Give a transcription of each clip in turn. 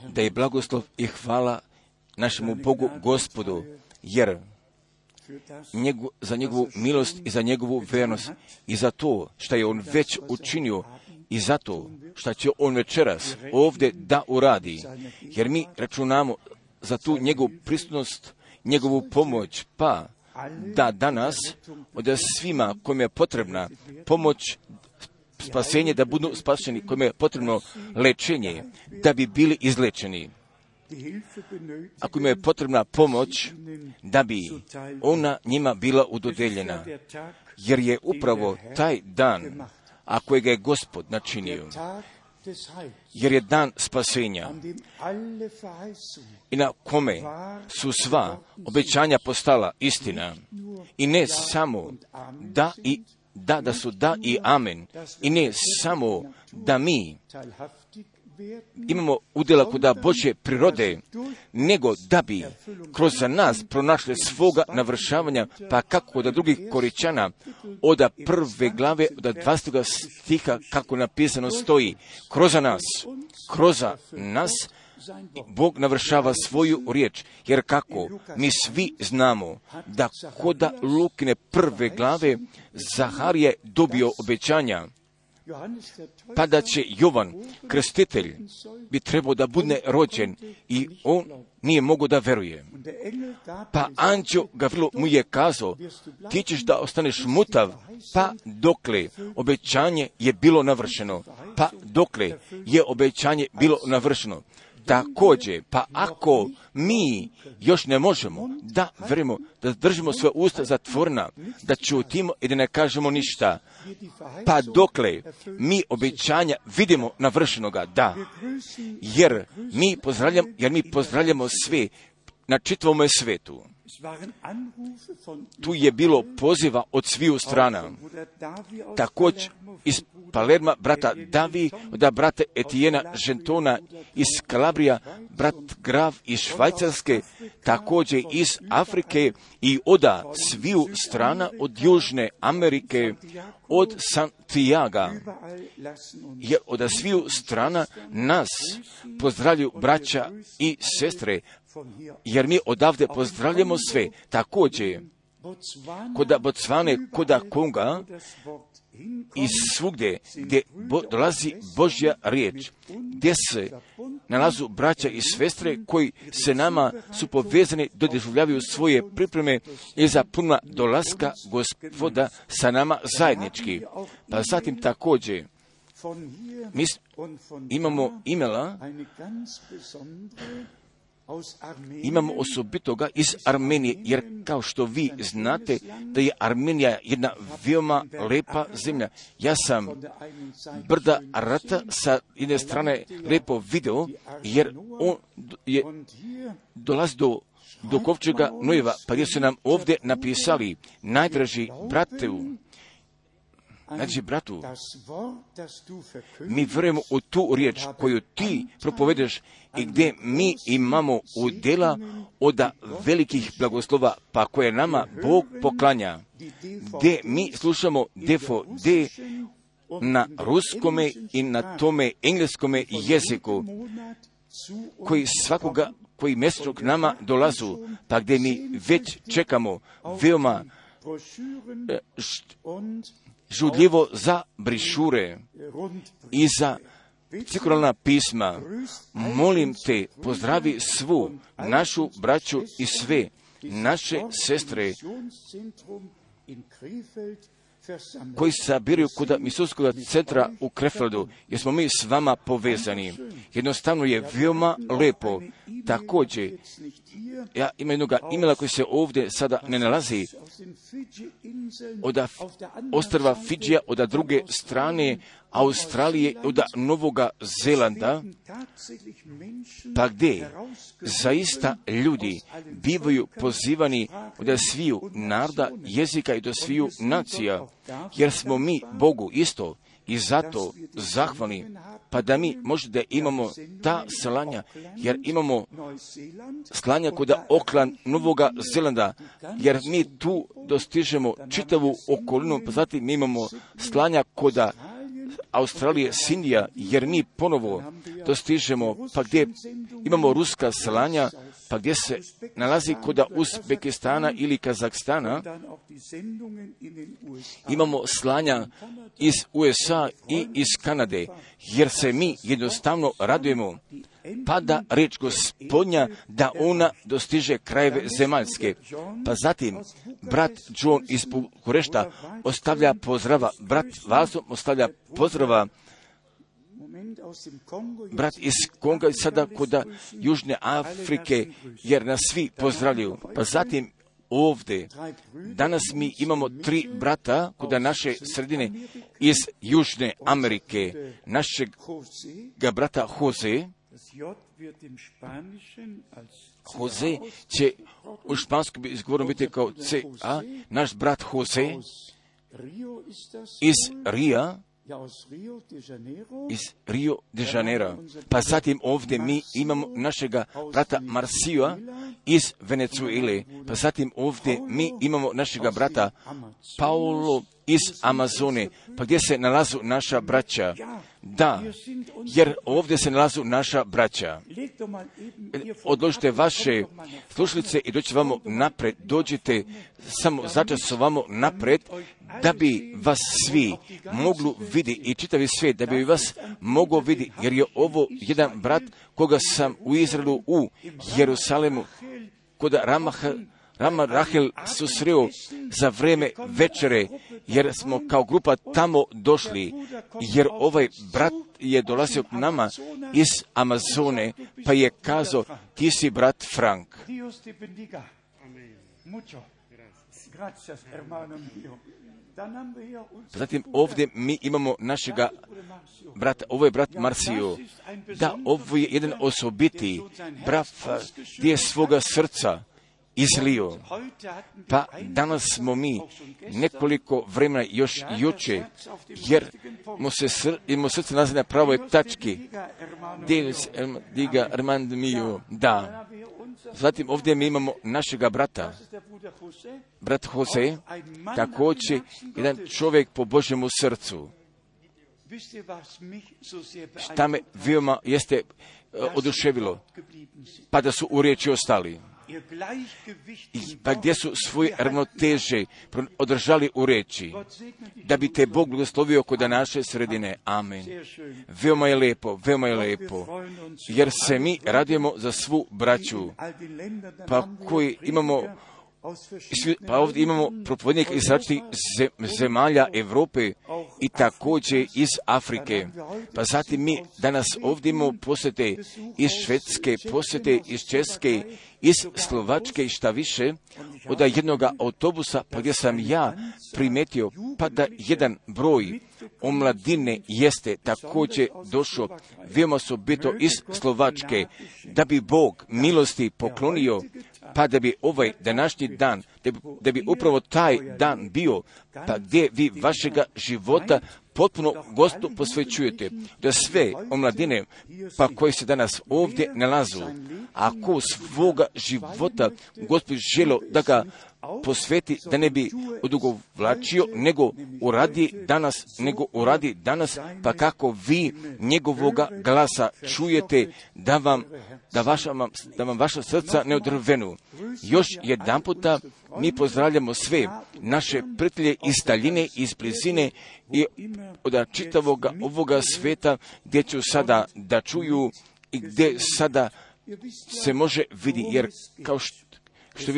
Da je blagoslov i hvala našemu Bogu Gospodu, jer za njegovu milost i za njegovu vernost i za to što je on već učinio i za to što će on večeras ovdje da uradi, jer mi računamo za tu njegovu prisutnost, njegovu pomoć, pa da danas od svima kojima je potrebna pomoć, spasenje, da budu spašeni, kojima je potrebno lečenje, da bi bili izlečeni. Ako im je potrebna pomoć, da bi ona njima bila udodeljena, jer je upravo taj dan, a kojega je Gospod načinio, jer je dan spasenja i na kome su sva obećanja postala istina i ne samo da su da i amen i ne samo da mi imamo udjela kod Božje prirode, nego da bi kroz nas pronašli svoga navršavanja, pa kako od drugih Koričana, od prve glave, od 20. stiha, kako napisano stoji, kroz nas Bog navršava svoju riječ, jer kako mi svi znamo da koda Lukine prve glave Zaharije dobio obećanja, pa da će Jovan, krstitelj, bi trebao da bude rođen i on nije mogao da veruje. Pa anđeo Gavrilo mu je kazao, ti ćeš da ostaneš mutav, pa dokle obećanje je bilo navršeno. Pa dokle je obećanje bilo navršeno. Također, pa ako mi još ne možemo da verujemo, da držimo svoje usta zatvorena, da ćutimo i da ne kažemo ništa, pa dokle mi obećanja vidimo navršenoga, da, jer mi pozdravljamo sve na čitavome svetu. Tu je bilo poziva od sviju strana. Također iz Palerma, brata Davi, od brata Etijena Žentona, iz Kalabrija, brat Grav iz Švajcarske, također iz Afrike i od sviju strana, od Južne Amerike, od Santiaga, jer od sviju strana nas pozdravljaju braća i sestre, jer mi odavde pozdravljamo sve. Također, kod Bocvane, kod Konga i svugdje gdje dolazi Božja riječ, gdje se nalazu braća i sestre koji se nama su povezani, doživljavaju svoje pripreme i za puna dolaska Gospoda sa nama zajednički. Pa zatim također mi imamo imamo osobitoga iz Armenije, jer kao što vi znate da je Armenija jedna veoma lepa zemlja. Ja sam brda Arata sa jedne strane lepo video, jer on je dolazi do kovčega Nojeva, pa gdje su nam ovdje napisali, najdraži bratu, mi vjerujemo u tu riječ koju ti propovedeš i gdje mi imamo udjela od velikih blagoslova, pa koje nama Bog poklanja, gdje mi slušamo DVD na ruskome i na tome engleskome jeziku, koji mjesečno k nama dolazu, pa gdje mi već čekamo veoma žudljivo za brišure i za cirkularna pisma. Molim te, pozdravi svu našu braću i sve naše sestre koji se sabiraju kod misionskog centra u Krefeldu, jer smo mi s vama povezani. Jednostavno je veoma lepo. Također, ja imam jednog imela koji se ovdje sada ne nalazi, od ostrva Fidžija, od druge strane Australije, od Novoga Zelanda, pa gdje zaista ljudi bivaju pozivani od sviju naroda, jezika i do sviju nacija, jer smo mi Bogu isto i zato zahvalni, pa da mi možda imamo ta slanja, jer imamo slanja kod Auckland, Novoga Zelanda, jer mi tu dostižemo čitavu okolinu, pa zatim mi imamo slanja kod Australije, s Indija, jer mi ponovo dostižemo, pa gdje imamo ruska slanja, pa gdje se nalazi kod Uzbekistana ili Kazahstana, imamo slanja iz USA i iz Kanade, jer se mi jednostavno radujemo, pada riječ Gospodnja da ona dostiže krajeve zemaljske. Pa zatim, brat John iz Bukurešta ostavlja pozdrava, brat Vasom ostavlja pozdrava, brat iz Konga sada kod Južne Afrike, jer nas svi pozdravljaju. Pa zatim ovdje, danas mi imamo 3 brata kod naše sredine iz Južne Amerike, našeg brata Jose će u španskom izgovoru biti kao C.A., naš brat Jose iz Rio de Janeiro. Pa zatim ovdje mi imamo našega brata Marcija iz Venezuele. Pa zatim ovdje mi imamo našega brata Paulo iz Amazone. Pa gdje se nalazu naša braća? Da, jer ovdje se nalazu naša braća. Odložite vaše slušalice i dođite vamo napred. Dođite samo začas vamo napred, da bi vas svi mogli vidjeti i čitavi svijet, da bi vas mogao vidjeti, jer je ovo jedan brat koga sam u Izraelu, u Jerusalemu, kod Rama Rahel susreo za vrijeme večere, jer smo kao grupa tamo došli, jer ovaj brat je dolazio k nama iz Amazone, pa je kazao, ti si brat Frank. Zatim ovdje mi imamo našega brata, ovo je brat Marcio. Da, ovo je jedan osobiti brat gdje je svoga srca izlio. Pa danas smo mi nekoliko vremena još juče, jer mu srce nalazi na pravoj tački. Diga Armand mio. Da. Zatim ovdje mi imamo našega brata, brat Jose, također jedan čovjek po Božjemu srcu. Šta me veoma jeste oduševilo, pa da su u riječi ostali. Pa gdje su svoje ravnoteže održali u riječi, da bi te Bog blagoslovio kod naše sredine. Amen. Veoma je lepo, jer se mi radujemo za svu braću, pa koji imamo, pa ovdje imamo propovednika iz različitih zemalja Europe i također iz Afrike. Pa zatim mi danas ovdje imamo posjete iz Švedske, posjete iz Česke, iz Slovačke i šta više, od jednoga autobusa, pa gdje sam ja primetio, pa da jedan broj omladine jeste također došao, veoma osobito iz Slovačke, da bi Bog milosti poklonio, pa da bi ovaj današnji dan, da bi upravo taj dan bio, pa gdje vi vašega života potpuno Gospodu posvećujete, da sve omladine, pa koji se danas ovdje nalazu, ako svoga života Gospod želo da ga posveti, da ne bi odugovlačio, nego uradi danas, pa kako vi njegovoga glasa čujete, da vam vaša srca ne odrvenu. Još jedan puta mi pozdravljamo sve naše prijatelje iz daljine, iz blizine i od čitavoga ovoga sveta, gdje ću sada da čuju i gdje sada se može vidjeti, jer kao što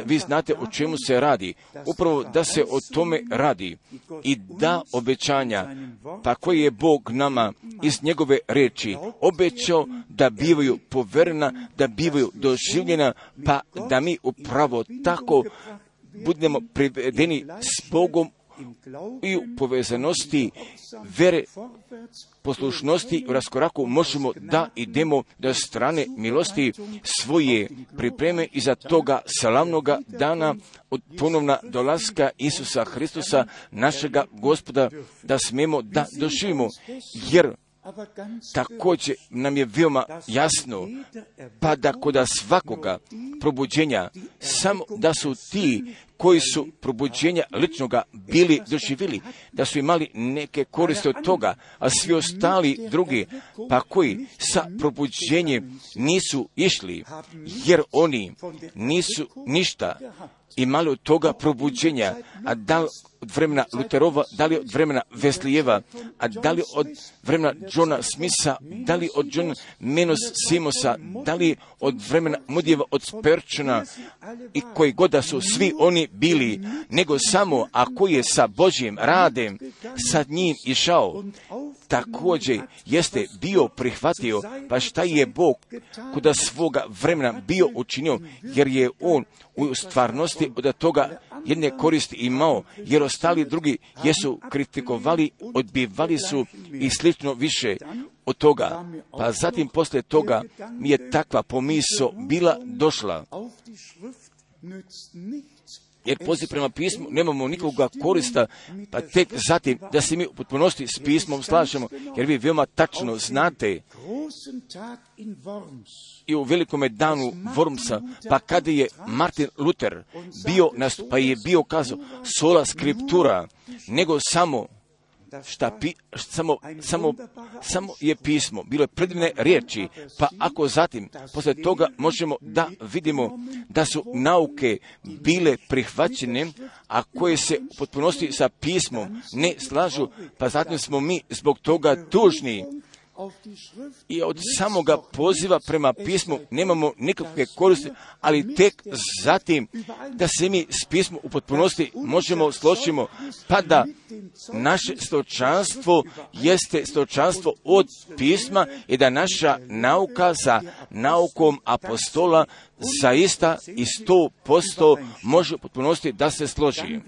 vi znate o čemu se radi, upravo da se o tome radi i da obećanja, pa koji je Bog nama iz njegove riječi obećao da bivaju poverena, da bivaju doživljena, pa da mi upravo tako budemo privedeni s Bogom i u povezanosti vere, poslušnosti u raskoraku možemo da idemo do strane milosti svoje pripreme iza toga slavnoga dana od ponovna dolaska Isusa Hristusa, našega Gospoda, da smemo da doživimo, jer također nam je veoma jasno, pa da kod svakoga probuđenja, samo da su ti koji su probuđenja ličnoga bili doživjeli, da su imali neke koriste od toga, a svi ostali drugi, pa koji sa probuđenjem nisu išli, jer oni nisu ništa imali od toga probuđenja, a da li od vremena Luterova, da li od vremena Veslijeva, a da li od vremena Johna Smitha, da li od John Menos Simosa, da li od vremena Mudijeva, od Sperčana i koji god da su svi oni bili, nego samo ako je sa Božjim radem sa njim išao, također jeste bio prihvatio, pa šta je Bog kuda svoga vremena bio učinio, jer je on u stvarnosti od toga jedne koristi imao, jer ostali drugi jesu kritikovali, odbivali su i slično više od toga. Pa zatim poslije toga mi je takva pomisao bila došla, jer poziv prema pismu nemamo nikoga korista, pa tek zatim da se mi u potpunosti s pismom slažemo, jer vi veoma tačno znate i u velikome danu Wormsa, pa kada je Martin Luther bio, pa je bio kazao sola scriptura, nego samo samo je pismo, bilo je predivne riječi, pa ako zatim, poslije toga možemo da vidimo da su nauke bile prihvaćene, a koje se u potpunosti sa pismom ne slažu, pa zatim smo mi zbog toga tužni. I od samoga poziva prema pismu nemamo nikakve koristi, ali tek zatim da se mi s pismom u potpunosti možemo složimo, pa da naše stočanstvo jeste stočanstvo od pisma i da naša nauka za naukom apostola zaista i 100% može u potpunosti da se složi.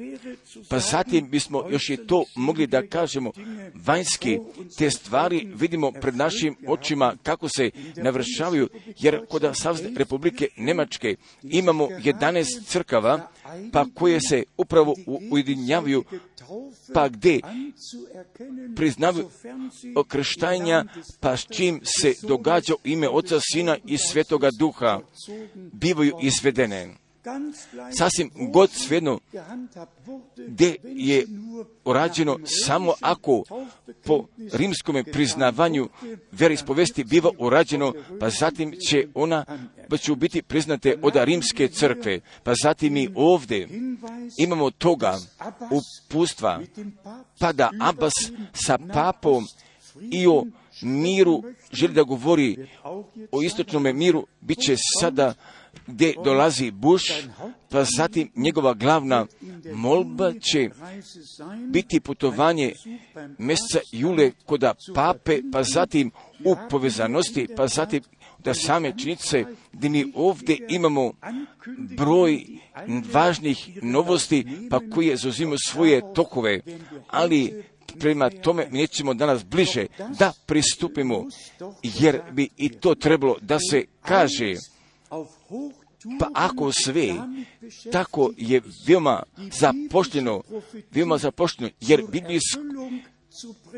Pa zatim bismo još i to mogli da kažemo, vanjski te stvari vidimo pred našim očima kako se navršavaju, jer kod Savezne Republike Njemačke imamo 11 crkava, pa koje se upravo ujedinjavaju, pa gdje priznavaju okrštanja, pa s čim se događa ime Oca, Sina i Svetoga Duha, bivaju izvedene. Sasvim god svejedno gdje je urađeno samo ako po rimskom priznavanju vjeroispovesti biva urađeno, pa zatim će ona biti priznate od rimske crkve. Pa zatim mi ovdje imamo toga upustva, pa da Abbas sa papom i o miru želi da govori o istočnom miru, bit će sada gdje dolazi Bush, pa zatim njegova glavna molba će biti putovanje mjeseca jule kod pape, pa zatim u povezanosti, pa zatim da same činjenice gdje mi ovdje imamo broj važnih novosti, pa koje zauzimaju svoje tokove, ali prema tome mi nećemo danas bliže da pristupimo, jer bi i to trebalo da se kaže. Pa ako sve tako je veoma zapošteno, jer biblijsko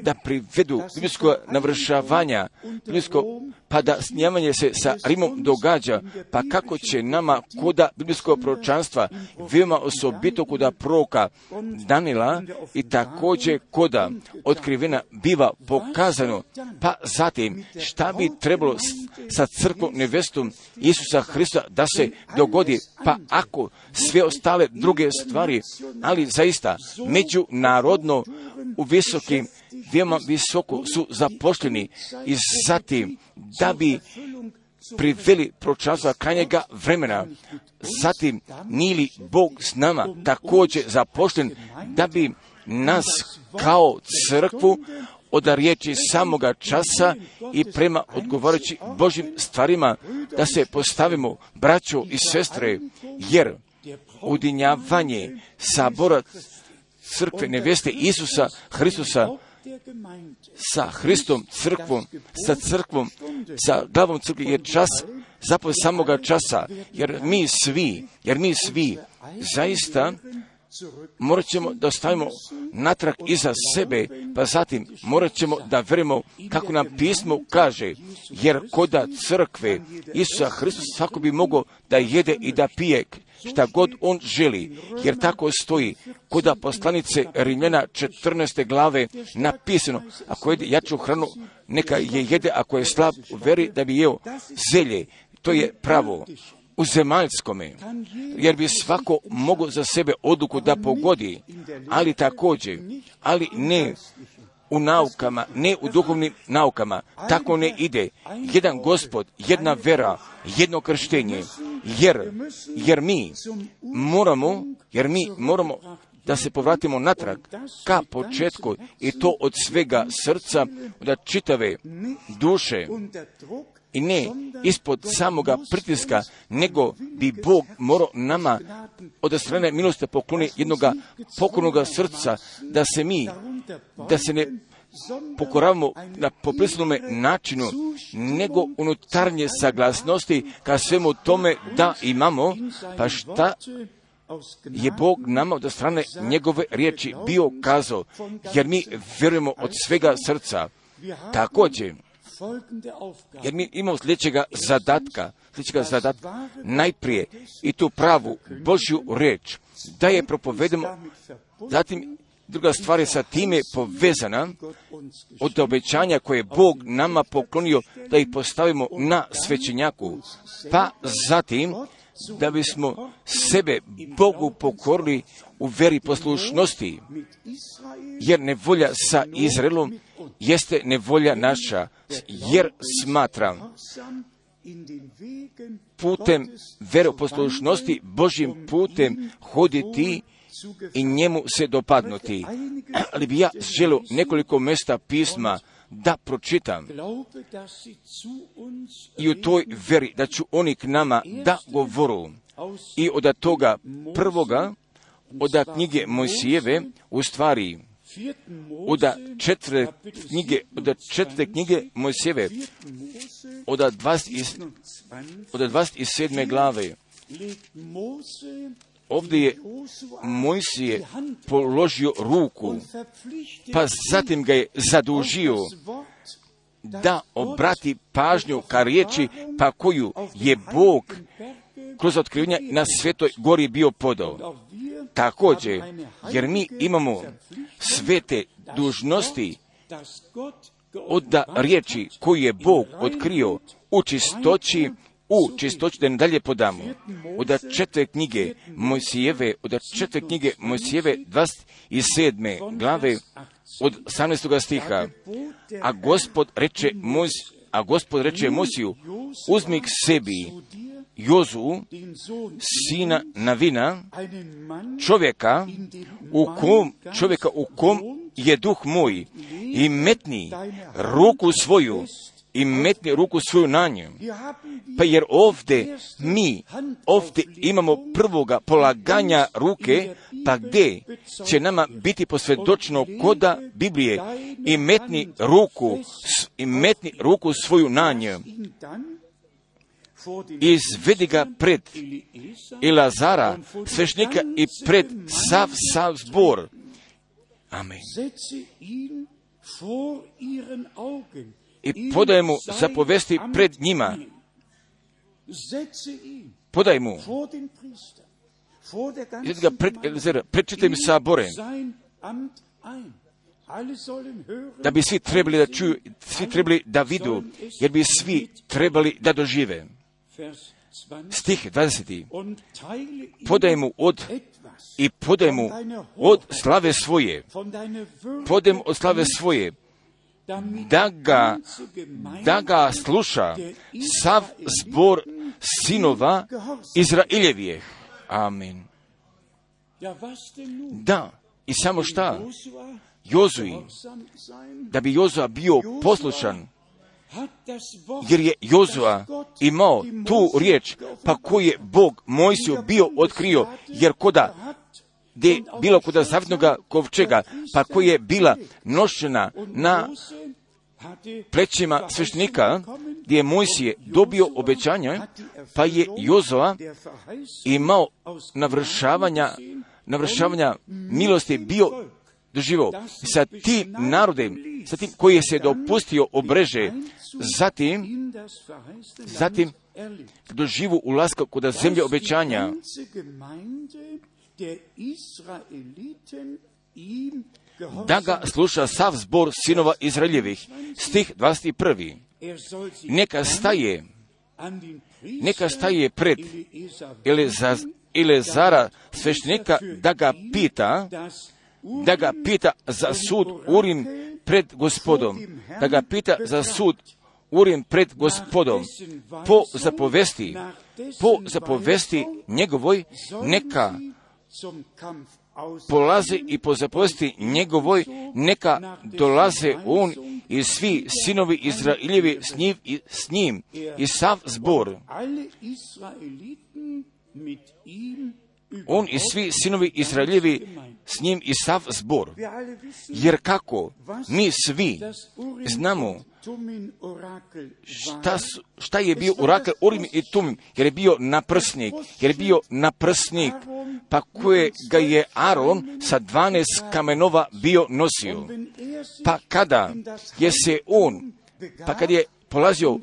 da privedu biblijsko navršavanja, pa da snimanje se sa Rimom događa, pa kako će nama koda biblijskog proročanstva, veoma osobito koda proroka Danila i također koda otkrivena biva pokazano, pa zatim šta bi trebalo sa crkvom nevestom Isusa Hrista da se dogodi, pa ako sve ostale druge stvari, ali zaista međunarodno u visokim, veoma visoko su zaposleni i zatim da bi priveli proročanstva krajnjega vremena. Zatim nije li Bog s nama također zaposlen da bi nas kao crkvu od riječi samoga časa i prema odgovarajući Božjim stvarima da se postavimo, braćo i sestre, jer ujedinjavanje sabora crkve neveste Isusa Hristusa sa Hristom, sa crkvom, sa glavom crkve je čas zapravo samoga časa, jer mi svi zaista morat ćemo da ostavimo natrag iza sebe, pa zatim morat ćemo da verujemo kako nam pismo kaže, jer koda crkve Isusa Hristusa svako bi mogao da jede i da pije, šta god on želi, jer tako stoji kod poslanice Rimljana 14. glave napisano, ako jede jaču hranu, neka je jede, ako je slab u veri, da bi jeo zelje. To je pravo u zemaljskome, jer bi svako mogao za sebe odluku da pogodi, ali također, ali ne u naukama, ne u duhovnim naukama. Tako ne ide. Jedan Gospod, jedna vera, jedno krštenje, jer mi moramo da se povratimo natrag ka početku, i to od svega srca, od čitave duše, i ne ispod samoga pritiska, nego bi Bog morao nama od strane milosti pokloni jednoga pokornoga srca, da se ne pokoravamo na poprisnome načinu, nego unutarnje saglasnosti ka svemu tome da imamo, pa šta je Bog nama od strane njegove riječi bio kazao, jer mi vjerujemo od svega srca. Također, jer mi imamo sljedećega zadatka, najprije i tu pravu Božju riječ, da je propovedemo, zatim druga stvar je sa time povezana od obećanja koje je Bog nama poklonio da ih postavimo na svećenjaku, pa zatim da bismo sebe Bogu pokorili u veri poslušnosti, jer nevolja sa Izraelom jeste nevolja naša, jer smatram putem veroposlušnosti, Božjim putem hoditi i njemu se dopadnuti. Ali bi ja želio nekoliko mjesta pisma da pročitam i u toj veri da ću oni k nama da govoru. I od toga prvoga, od knjige Mojsijeve, u stvari od četvrte knjige Mojsijeve, od 27. glave. Ovdje je Mojsije položio ruku, pa zatim ga je zadužio da obrati pažnju ka riječi, pa koju je Bog kroz otkrivenja na Svetoj gori bio podao. Također, jer mi imamo svete dužnosti od riječi koju je Bog otkrio u čistoći, da ne dalje podamo. Od četvrte knjige Mojsijeve, 27. glave, od 18. stiha. A Gospod reče Mojsiju, uzmi k sebi Jozu, sina Navina, čovjeka u kom je duh moj, i metni ruku svoju na nju. Pa jer ovdje imamo prvoga polaganja ruke, pa gdje će nama biti posvjedočeno koda Biblije, i metni ruku svoju na nju. Izvedi ga pred Elazara, svešnika, i pred sav zbor. Amen. I podaj mu zapovesti pred njima. Podaj mu. Izvedi ga pred Elazara, pred čitavim saborem. Da bi svi trebali da čuju, svi trebali da vidu, jer bi svi trebali da dožive. Stih 20. Podaj mu od slave svoje. Podaj mu od slave svoje. Da ga sluša sav zbor sinova Izraeljevih. Amen. Da, i samo šta? Jozuji, da bi Jozua bio poslušan, jer je Jozua imao tu riječ, pa koju je Bog Mojsiju bio otkrio, jer bilo koda zavjetnoga kovčega, pa koja je bila nošena na plećima sveštenika, gdje je Mojsije dobio obećanje, pa je Jozua imao navršavanja milosti bio doživao. Sa tim narodem zatim koji se dopustio obreže, zatim doživu ulaska kod zemlje obećanja. Da ga sluša sav zbor sinova Izraeljevih. Stih 21. Neka staje pred Eleazara sveštenika da ga pita za sud Urim pred Gospodom. Da ga pita za sud Urim pred Gospodom. Po zapovesti njegovoj neka polaze i po zapovesti njegovoj neka dolaze on i svi sinovi Izraeljevi s njim i sav zbor. On i svi sinovi Izraeljevi s njim i sav zbor. Jer kako mi svi znamo šta je bio orakel Urim i Tumim, jer je bio naprsnik, pa koje ga je Aron sa 12 kamenova bio nosio. Pa kada je polazio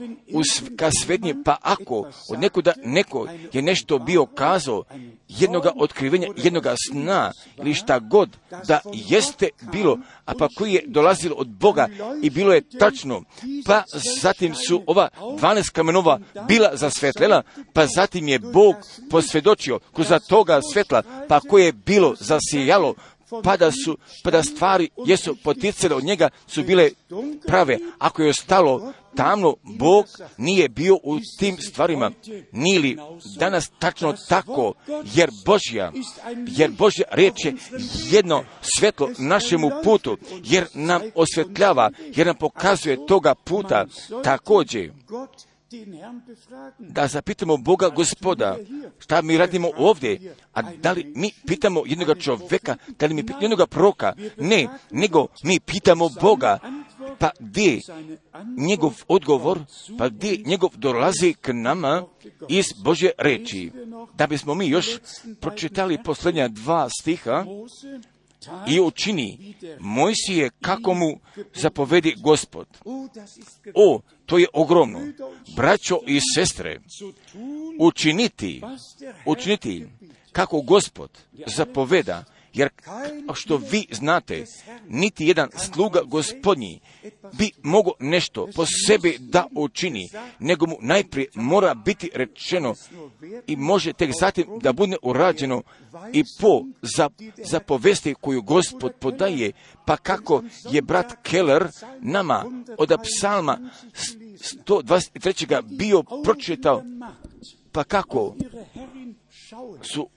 ka svetnje, pa ako od nekuda neko je nešto bio kazao, jednoga otkrivenja, jednoga sna, ili šta god da jeste bilo, a pa koji je dolazilo od Boga i bilo je tačno, pa zatim su ova 12 kamenova bila zasvetlela, pa zatim je Bog posvjedočio kroz toga svetla, pa koje je bilo zasijalo, pa da stvari jesu poticale od njega su bile prave. Ako je ostalo tamno, Bog nije bio u tim stvarima. Nije li danas tačno tako, jer Božja riječ je jedno svetlo našemu putu, jer nam osvetljava, jer nam pokazuje toga puta. Također, da zapitamo Boga Gospoda, šta mi radimo ovdje, a da li mi pitamo jednoga čovjeka, da li mi pitamo jednoga proroka? Ne, nego mi pitamo Boga, pa gdje njegov odgovor, pa gdje njegov dolazi k nama iz Božje reči. Da bismo mi još pročitali posljednja 2 stiha, i učini Mojsije kako mu zapovedi Gospod. To je ogromno. Braćo i sestre, učiniti kako Gospod zapoveda, jer što vi znate, niti jedan sluga Gospodnji bi mogao nešto po sebi da učini, nego mu najprije mora biti rečeno i može tek zatim da bude urađeno i po zapovesti koju Gospod podaje, pa kako je brat Keller nama od psalma 123. bio pročitao, pa kako su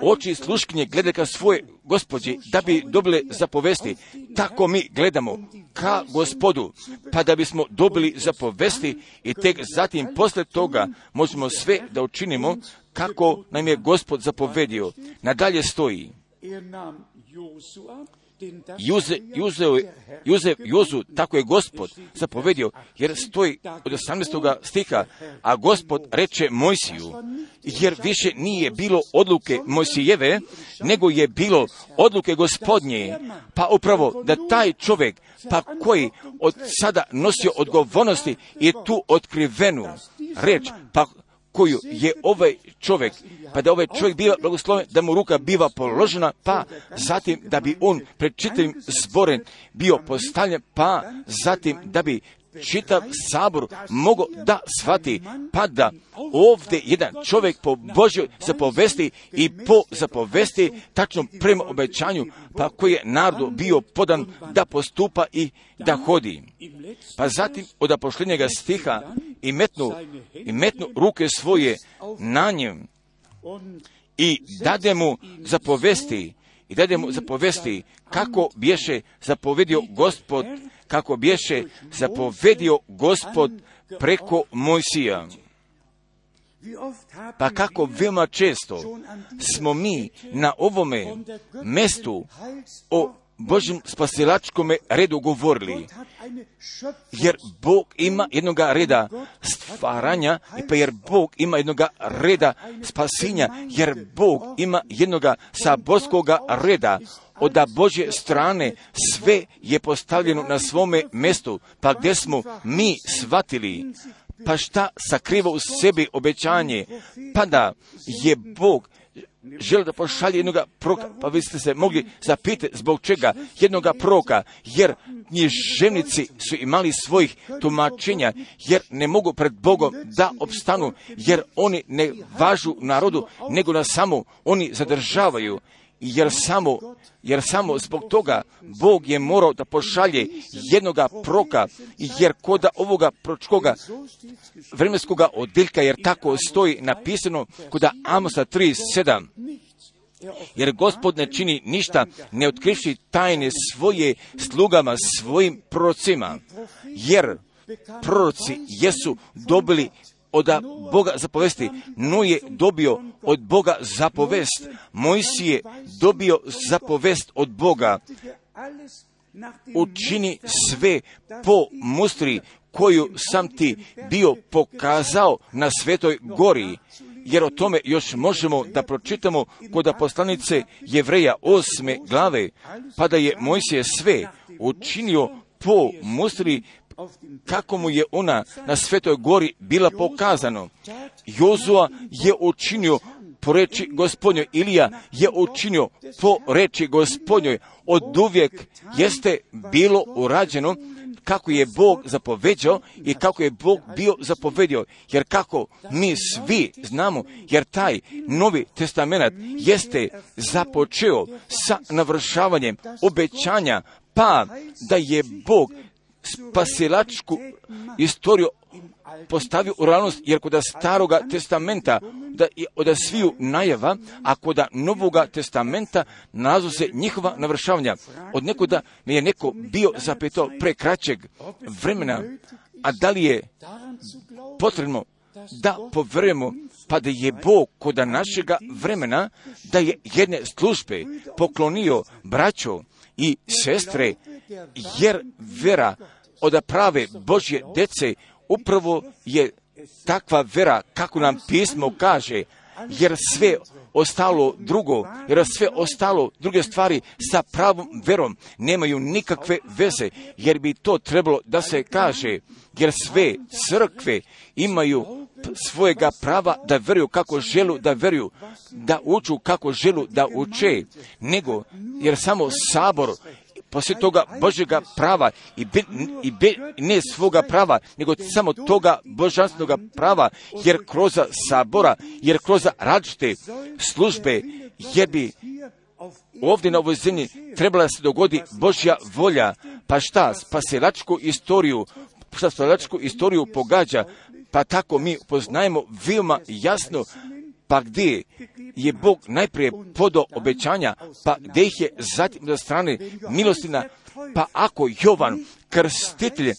oči sluškinje glede ka svoje Gospođi da bi dobile zapovesti, tako mi gledamo ka Gospodu, pa da bismo dobili zapovesti i tek zatim posle toga možemo sve da učinimo kako nam je Gospod zapovedio. Nadalje stoji Jozu, tako je Gospod zapovedio, jer stoji od 18. stiha, a Gospod reče Mojsiju, jer više nije bilo odluke Mojsijeve, nego je bilo odluke Gospodnje, pa upravo da taj čovjek, pa koji od sada nosio odgovornosti je tu otkrivenu reč, pa koju je ovaj čovjek, pa da ovaj čovjek biva blagosloven, da mu ruka biva položena, pa zatim da bi on pred čitavim zborem bio postavljen, pa zatim da bi čitav sabor mogao da shvati, pa da ovdje jedan čovjek po Božjoj zapovesti i po zapovesti tačno prema obećanju, pa koji je narodu bio podan da postupa i da hodi. Pa zatim od posljednjega stiha i metnu ruke svoje na njem i dade mu zapovesti kako bješe zapovedio Gospod preko Mojsija. Pa kako veoma često smo mi na ovome mjestu o Božjem spasilačkome redu govorili, jer Bog ima jednoga reda stvaranja, pa jer Bog ima jednoga reda spasinja, jer Bog ima jednoga saborskoga reda od Božje strane sve je postavljeno na svome mjestu, pa gdje smo mi shvatili, pa šta sakriva u sebi obećanje, pa da je Bog želi da pošalje jednoga proroka, pa vi ste se mogli zapitati zbog čega jednoga proroka, jer književnici su imali svojih tumačenja, jer ne mogu pred Bogom da opstanu, jer oni ne važu narodu, nego da samo oni zadržavaju, jer samo zbog toga Bog je morao da pošalje jednoga proroka, jer koda ovoga proročkoga vremenskoga odjeljka, jer tako stoji napisano koda Amosa 3:7. Jer Gospod ne čini ništa, ne otkrivši tajne svoje slugama, svojim prorocima, jer proroci jesu dobili od Boga zapovesti. Noe je dobio od Boga zapovest. Mojsije je dobio zapovest od Boga. Učini sve po mustri koju sam ti bio pokazao na Svetoj gori. Jer o tome još možemo da pročitamo kod poslanice Jevreja 8. glave, pa da je Mojsije sve učinio po mustri kako mu je ona na Svetoj gori bila pokazano. Jozua je učinio po reči Gospodnjoj, Ilija je učinio po reči Gospodnjoj. Od uvijek jeste bilo urađeno kako je Bog zapoveđao i kako je Bog bio zapovedio. Jer kako mi svi znamo, jer taj Novi testament jeste započeo sa navršavanjem obećanja, pa da je Bog spasilačku istoriju postavio u realnost, jer kod Staroga testamenta da je od sviju najava, a kod Novoga testamenta nalazu se njihova navršavanja. Od nekoda mi je neko bio zapitao pre kraćeg vremena, a da li je potrebno da poverujemo, pa da je Bog kod našega vremena, da je jedne službe poklonio braćo i sestre, jer vera od prave Božje dece upravo je takva vera kako nam pismo kaže, jer sve ostalo druge stvari sa pravom verom nemaju nikakve veze, jer bi to trebalo da se kaže, jer sve crkve imaju svojega prava da veruju kako želu da veruju, da uču kako želu da uče, nego jer samo sabor poslije toga Božjega prava ne svoga prava, nego samo toga božanstvenog prava, jer kroz sabora, jer kroz različite službe, jer bi ovdje na ovoj zemlji trebala se dogodi Božja volja, pa šta spasilačku istoriju pogađa, pa tako mi poznajemo veoma jasno, pa gdje je Bog najprije podao obećanja, pa gdje ih je zatim za strane milostina, pa ako Jovan krstitelj,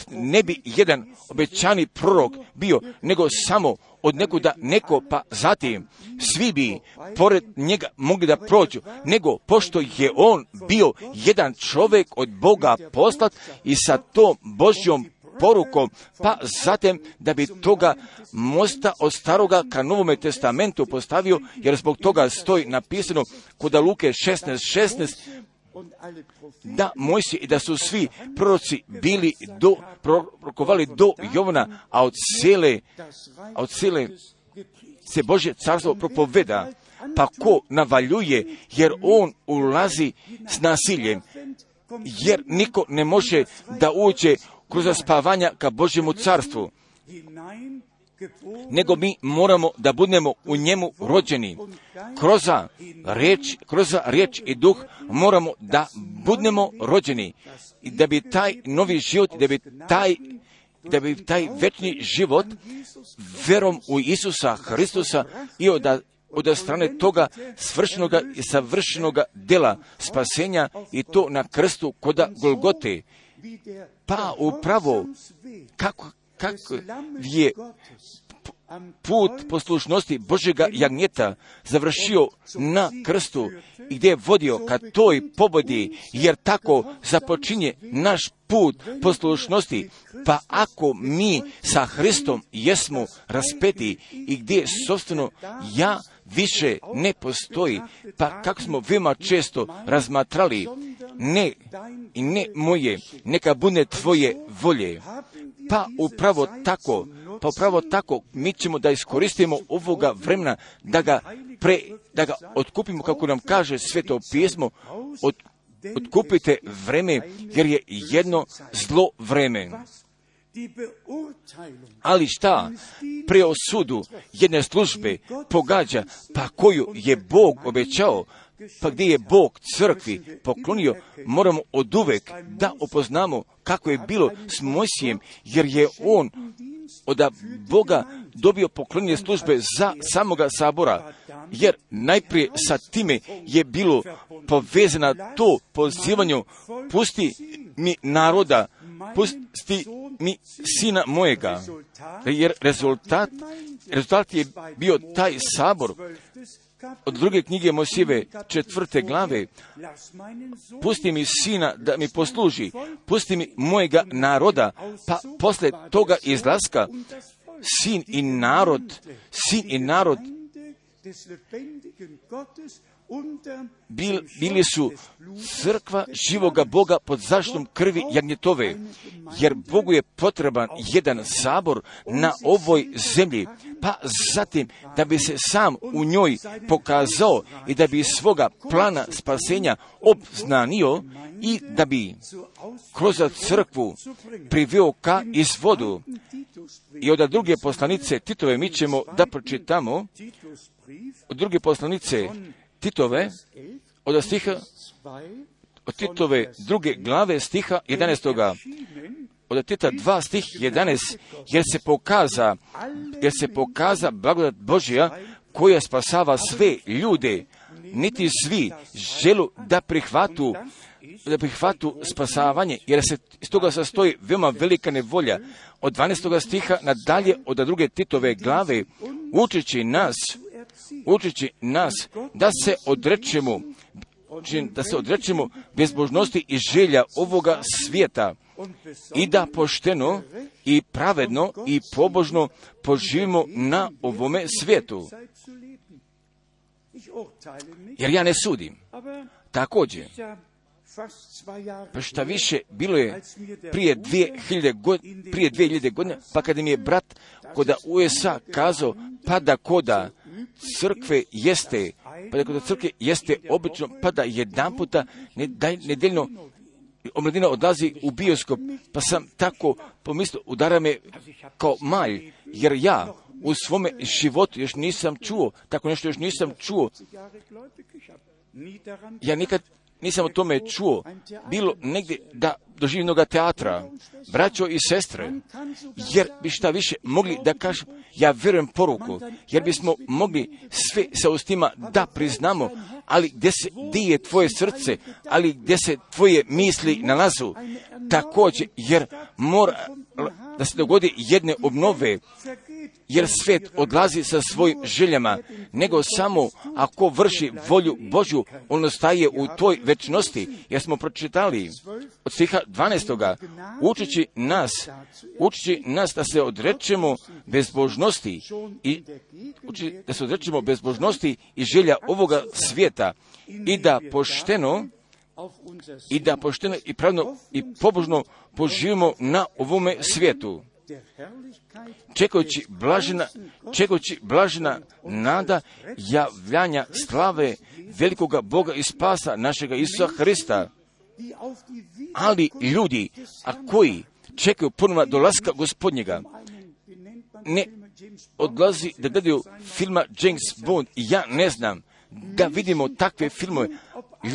ne bi jedan obećani prorok bio, nego samo od nekuda neko, pa zatim svi bi pored njega mogli da prođu, nego pošto je on bio jedan čovjek od Boga poslat i sa tom Božjom porukom, pa zatim da bi toga mosta od staroga ka Novome testamentu postavio, jer zbog toga stoji napisano kod Luke 16:16, da Mojsije i da su svi proroci bili prorokovali do Jovana, a od cijele se Božje carstvo propoveda, pa ko navaljuje, jer on ulazi s nasiljem, jer niko ne može da uđe kroz spavanja ka Božjemu carstvu, nego mi moramo da budemo u njemu rođeni. Kroz riječ i duh moramo da budemo rođeni. I da bi taj novi život, da bi taj večni život verom u Isusa Hristusa i od strane toga svršenoga i savršenoga dela spasenja i to na krstu koda Golgote. Pa upravo kako je put poslušnosti Božjega jagnjeta završio na krstu i gdje je vodio ka toj pobodi, jer tako započinje naš put poslušnosti. Pa ako mi sa Hristom jesmo raspeti i gdje sobstveno ja više ne postoji. Pa kako smo veoma često razmatrali, ne moje, neka bude tvoje volje. Pa upravo tako mi ćemo da iskoristimo ovoga vremena, da ga otkupimo, kako nam kaže Sveto pismo, otkupite vreme, jer je jedno zlo vreme. Ali šta preosudu jedne službe pogađa, pa koju je Bog obećao, pa gdje je Bog crkvi poklonio, moramo oduvek da upoznamo kako je bilo s Mojsijem, jer je on od Boga dobio poklonjenje službe za samoga sabora, jer najprije sa time je bilo povezano to pozivanju, pusti mi naroda, pusti mi sina mojega, jer rezultat je bio taj sabor. Od druge knjige Mojsijeve 4. glave, pusti mi sina da mi posluži, pusti mi mojega naroda, pa posle toga izlaska sin i narod bili su crkva živoga Boga pod zaštitom krvi jagnjetove, jer Bogu je potreban jedan sabor na ovoj zemlji, pa zatim da bi se sam u njoj pokazao i da bi svoga plana spasenja obznanio i da bi kroz crkvu priveo ka izvodu. I od druge poslanice Titove mi ćemo da pročitamo, od druge poslanice Titove, od Titove 2. glave stiha 11. Od Tita 2 stih 11, jer se pokaza blagodat Božja koja spasava sve ljude, niti svi želu da prihvatu spasavanje, jer se iz toga sastoji veoma velika nevolja. Od 12. stiha nadalje od druge Titove glave, učeći nas da se odrečemo bezbožnosti i želja ovoga svijeta i da pošteno i pravedno i pobožno poživimo na ovome svijetu. Jer ja ne sudim. Također, pa šta više, bilo je prije 2000 godina, pa kada mi je brat koda USA kazao, pa da koda crkve jeste obično, pa da jedan puta nedeljno omladina odlazi u bioskop, pa sam tako pomislio, udara me kao malj, jer ja u svome životu još nisam čuo, tako nešto još nisam čuo. Ja nikad nisam o tome čuo, bilo negdje da doživim jednoga teatra, braćo i sestre, jer bi šta više mogli da kažem, ja vjerujem poruku, jer bismo mogli sve sa ustima da priznamo, ali gdje je tvoje srce, ali gdje se tvoje misli nalazu, također, jer mora da se dogodi jedne obnove, jer svijet odlazi sa svojim željama, nego samo ako vrši volju Božju, on ostaje u toj večnosti, jer smo pročitali od stiha 12. Učići nas da se odrečemo bezbožnosti i želja ovoga svijeta i da pošteno i pravno i pobožno poživimo na ovome svijetu, čekajući blažena nada javljanja slave velikoga Boga i spasa našega Isusa Hrista. Ali ljudi, a koji čekaju ponovno dolaska Gospodnjega, ne odlazi da gledaju filma James Bond, ja ne znam, da vidimo takve filmove,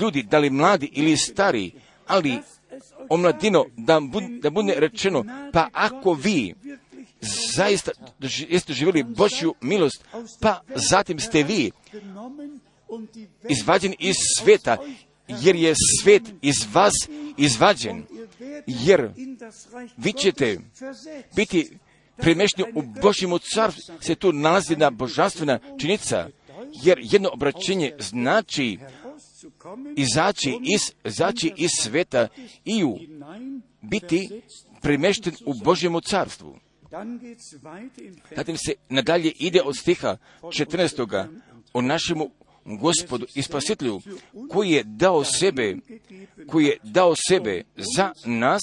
ljudi, da li mladi ili stari, ali omladino, da bude rečeno, pa ako vi zaista jeste živjeli Božju milost, pa zatim ste vi izvađeni iz sveta, jer je svet iz vas izvađen, jer vi ćete biti premješteni u Božjemu carstvu, se tu nalazi jedna božanstvena činjenica, jer jedno obraćenje znači izaći iz sveta i biti premješten u Božjemu carstvu. Zatim se nadalje ide od stiha 14. o našemu Gospodu i Spasitelju, koji je dao sebe za nas,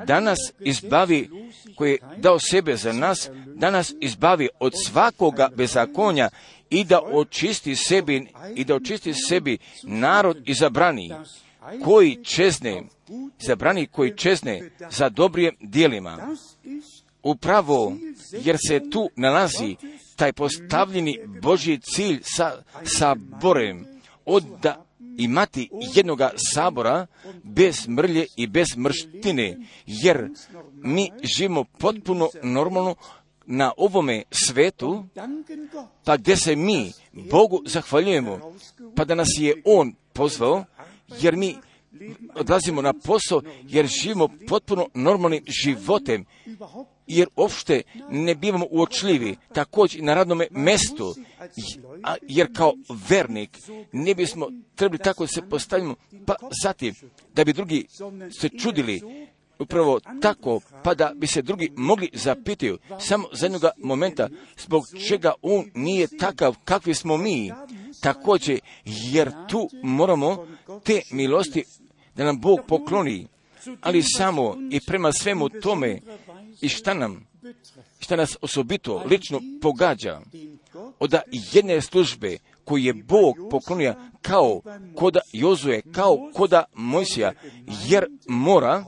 danas izbavi, koji je dao sebe za nas, danas izbavi od svakoga bezakonja i da očisti sebi narod izabrani, koji čezne za dobrim djelima. Upravo jer se tu nalazi taj postavljeni Božji cilj sa saborem, od da imati jednoga sabora bez mrlje i bez mrštine, jer mi živimo potpuno normalno na ovome svetu, pa gdje se mi Bogu zahvaljujemo, pa da nas je On pozvao, jer mi odlazimo na posao, jer živimo potpuno normalnim životem, jer uopšte ne bivamo uočljivi, također na radnom mjestu, jer kao vernik ne bismo trebali tako da se postavimo, pa zatim da bi drugi se čudili, upravo tako, pa da bi se drugi mogli zapitati samo za jednoga momenta zbog čega on nije takav kakvi smo mi, također, jer tu moramo te milosti da nam Bog pokloni, ali samo i prema svemu tome i šta nas osobito lično pogađa od jedne službe koju je Bog poklonio kao koda Jozue, kao koda Mojsija, jer mora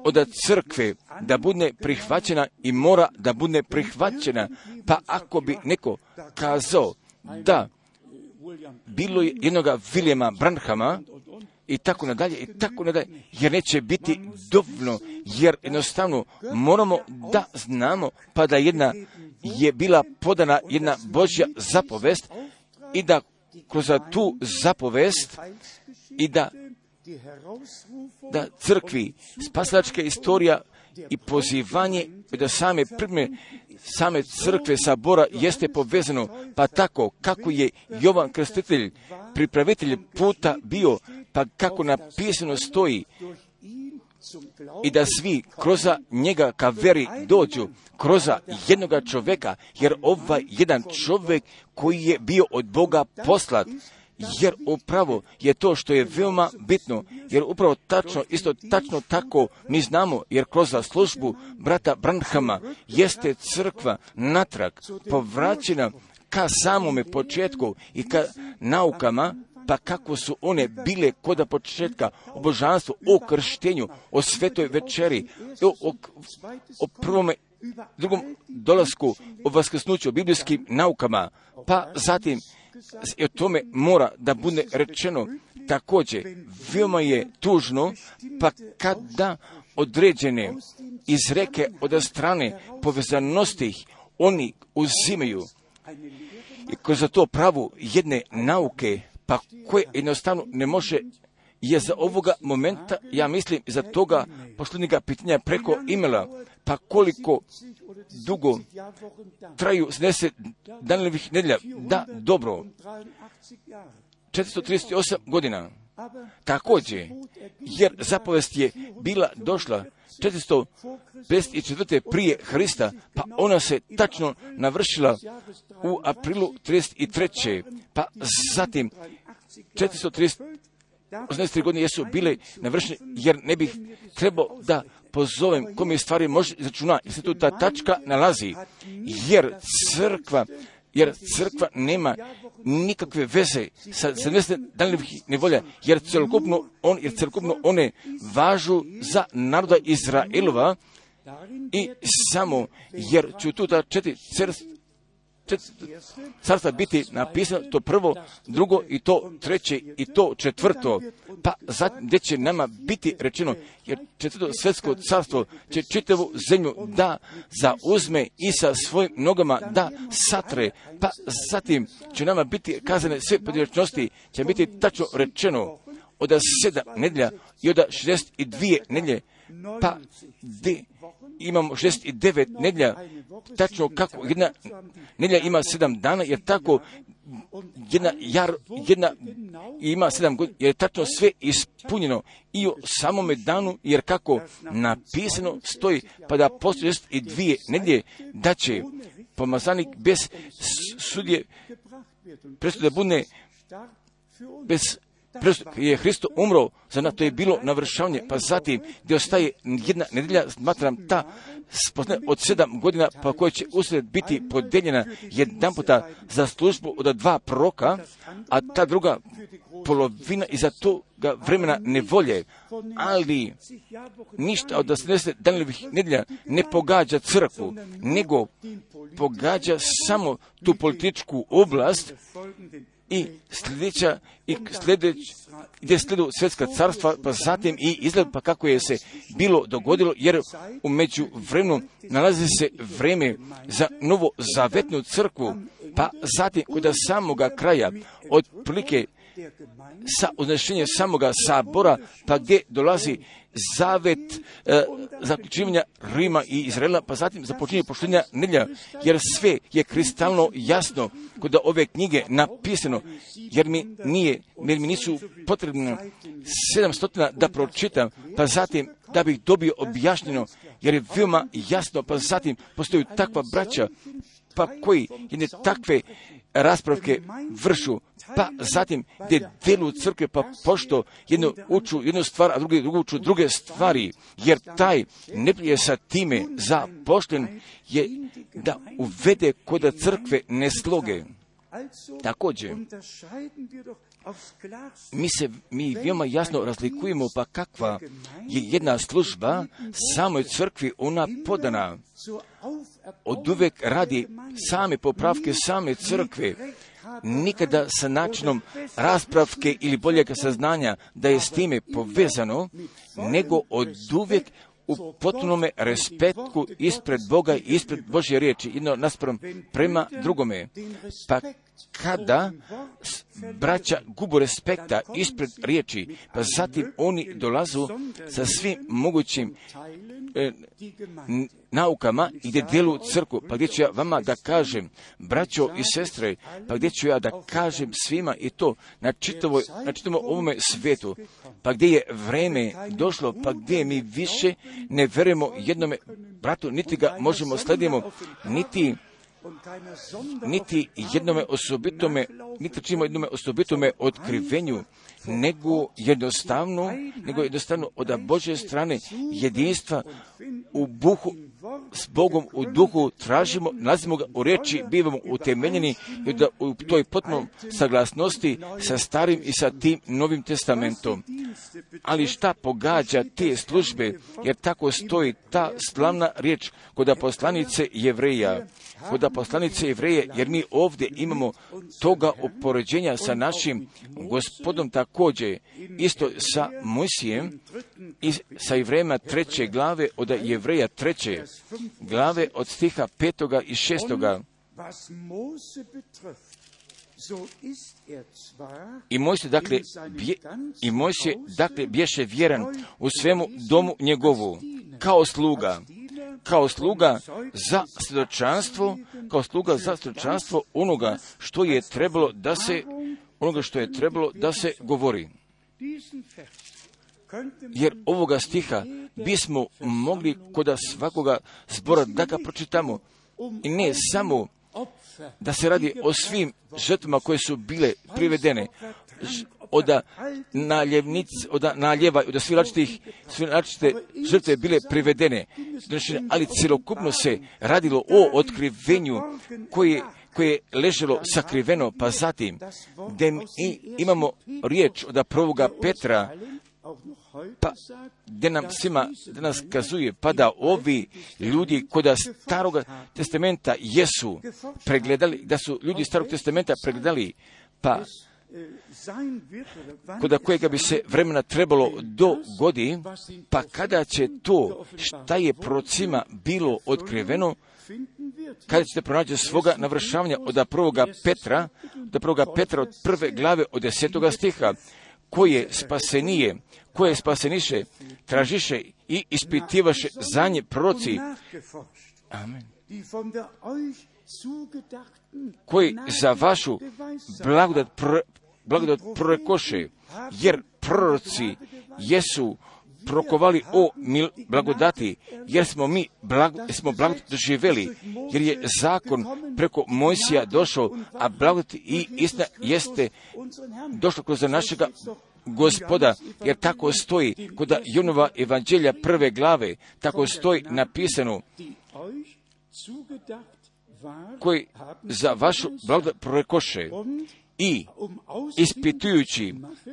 od crkve da bude prihvaćena i mora da bude prihvaćena, pa ako bi neko kazao da bilo je jednoga Viljema Branhama i tako nadalje, jer neće biti dovoljno, jer jednostavno moramo da znamo, pa da je bila podana jedna Božja zapovest i da kroz tu zapovest i da crkvi spasilačka istorija i pozivanje da same crkve sabora jeste povezano, pa tako kako je Jovan Krstitelj pripravitelj puta bio, pa kako napisano stoji i da svi kroz njega ka veri dođu, kroz jednoga čovjeka, jer ovaj jedan čovjek koji je bio od Boga poslat, jer upravo je to što je veoma bitno, jer upravo tačno tako mi znamo, jer kroz službu brata Branhama jeste crkva natrag povraćena ka samome početku i ka naukama, pa kako su one bile koda početka o božanstvu, o krštenju, o svetoj večeri, o prvome, drugom dolasku, o vaskrsnuću, o biblijskim naukama, pa zatim o tome mora da bude rečeno. Također, veoma je tužno, pa kada određene izreke od strane povezanosti oni uzimaju i kroz to pravu jedne nauke, pa koje jednostavno ne može, je za ovoga momenta, ja mislim, za toga posljednjega pitanja preko imela, pa koliko dugo traju 70 danovih nedjelja, da, dobro, 438 godina. Također, jer zapovest je bila došla 454. prije Hrista, pa ona se tačno navršila u aprilu 33. Pa zatim 483 godine jesu bile navršene, jer ne bih trebao da pozovem kome stvari može izračuna, jer se tu ta tačka nalazi, jer crkva nema nikakve veze sa 70 danovih nevolja, jer celokupno one važu za naroda Izraelova i samo jer ću tu ta četiri carstva biti napisano, to prvo, drugo i to treće i to četvrto, pa zatim gdje će nama biti rečeno, jer četvrto svjetsko carstvo će čitavu zemlju da zauzme i sa svojim nogama da satre, pa zatim će nama biti kazane sve pojedinačnosti, će biti tačno rečeno od 7 nedjelja i od 62 nedjelje, pa gdje imamo 69 nedjelja, tačno kako jedna nedjelja ima 7 dana, jer tako jedna ima 7 godina, jer je tačno sve ispunjeno i u samome danu, jer kako napisano stoji, pa da postoji 62 nedjelje, da će pomazanik bez sudje presude bude bez je Hristo umro za nas, to je bilo navršavanje, pa zatim gdje ostaje jedna nedelja, smatram ta od 7 godina, pa koja će usred biti podeljena jedan puta za službu od 2 proroka, a ta druga polovina iza toga vremena nevolje, ali ništa od 80 Danijelovih nedelja ne pogađa crkvu, nego pogađa samo tu političku oblast i gdje slijedu svjetska carstva, pa zatim i izgled, pa kako je se bilo dogodilo, jer u međuvremenu nalazi se vreme za novo zavetnu crkvu, pa zatim kod samoga kraja, otprilike sa uznešenjem samoga sabora, pa gdje dolazi zavet zaključivanja Rima i Izraela, pa zatim započinje poštenja nedjelja, jer sve je kristalno jasno kod ove knjige napisano, jer mi nisu potrebno 700 da pročitam, pa zatim da bih dobio objašnjeno, jer je veoma jasno, pa zatim postoji takva braća, pa koji jedne takve raspravke vršu, pa zatim gdje djeluju crkve, pa pošto jedno uču jednu stvar, a drugu uču druge stvari, jer taj neprijatelj sa time zapošten je da uvede kod crkve nesloge. Također, mi veoma jasno razlikujemo pa kakva je jedna služba samoj crkvi ona podana. Od uvek radi same popravke same crkve, nikada sa načinom raspravke ili boljeg saznanja da je s time povezano, nego od uvijek u potpunome respektu ispred Boga i ispred Božje riječi, jedno naspram prema drugome. Pa kada braća gubu respekta ispred riječi, pa zatim oni dolazu sa svim mogućim naukama i gdje djeluju crkvu, pa gdje ću ja vama da kažem, braćo i sestre, pa gdje ću ja da kažem svima i to na čitavom ovome svijetu, pa gdje je vreme došlo, pa gdje mi više ne verujemo jednome bratu, niti ga možemo sledimo, niti jednome osobitome otkrivenju, nego jednostavno od Božje strane jedinstva u buhu, s Bogom u duhu tražimo, nalazimo ga u riječi, bivamo utemeljeni i da u toj potpunoj saglasnosti sa Starim i sa tim Novim testamentom. Ali šta pogađa te službe, jer tako stoji ta slavna riječ kod poslanice Jevreja, jer mi ovdje imamo toga upoređenja sa našim Gospodom također, isto sa Mojsijem i sa Jevrejima 3. glave od Jevreja 3. glave od stiha 5. i 6. I Mojsije, dakle, bješe vjeran u svemu domu njegovu, kao sluga za svjedočanstvo onoga što je trebalo da se govori. Jer ovoga stiha bismo mogli kod svakoga zbora da ga pročitamo, i ne samo da se radi o svim žrtvama koje su bile privedene, od naljeva, od sve različite žrtve bile privedene, ali cjelokupno se radilo o otkrivenju koje je leželo sakriveno, pa zatim gdje imamo riječ od prvoga Petra, pa gdje nam svima danas kazuje, pa da ovi ljudi kod Staroga testamenta jesu pregledali, da su ljudi Starog testamenta pregledali, pa kod kojega bi se vremena trebalo dogodi, pa kada će to šta je prorocima bilo otkriveno, kada ćete pronaći svoga navršavanja od prvoga Petra od 1. glave od 10. stiha, koje spaseniše, tražiše i ispitivaše za nje proroci. Amen. Koji za vašu blagodat prorekoše, jer proroci jesu prokovali o blagodati, jer smo mi blagodat doživjeli, jer je zakon preko Mojsija došao, a blagodat i istina jeste došlo kroz našega Gospoda, jer tako stoji kod Jonova evanđelja 1. glave, tako stoji napisano, koji za vašu blagodat prorekoše i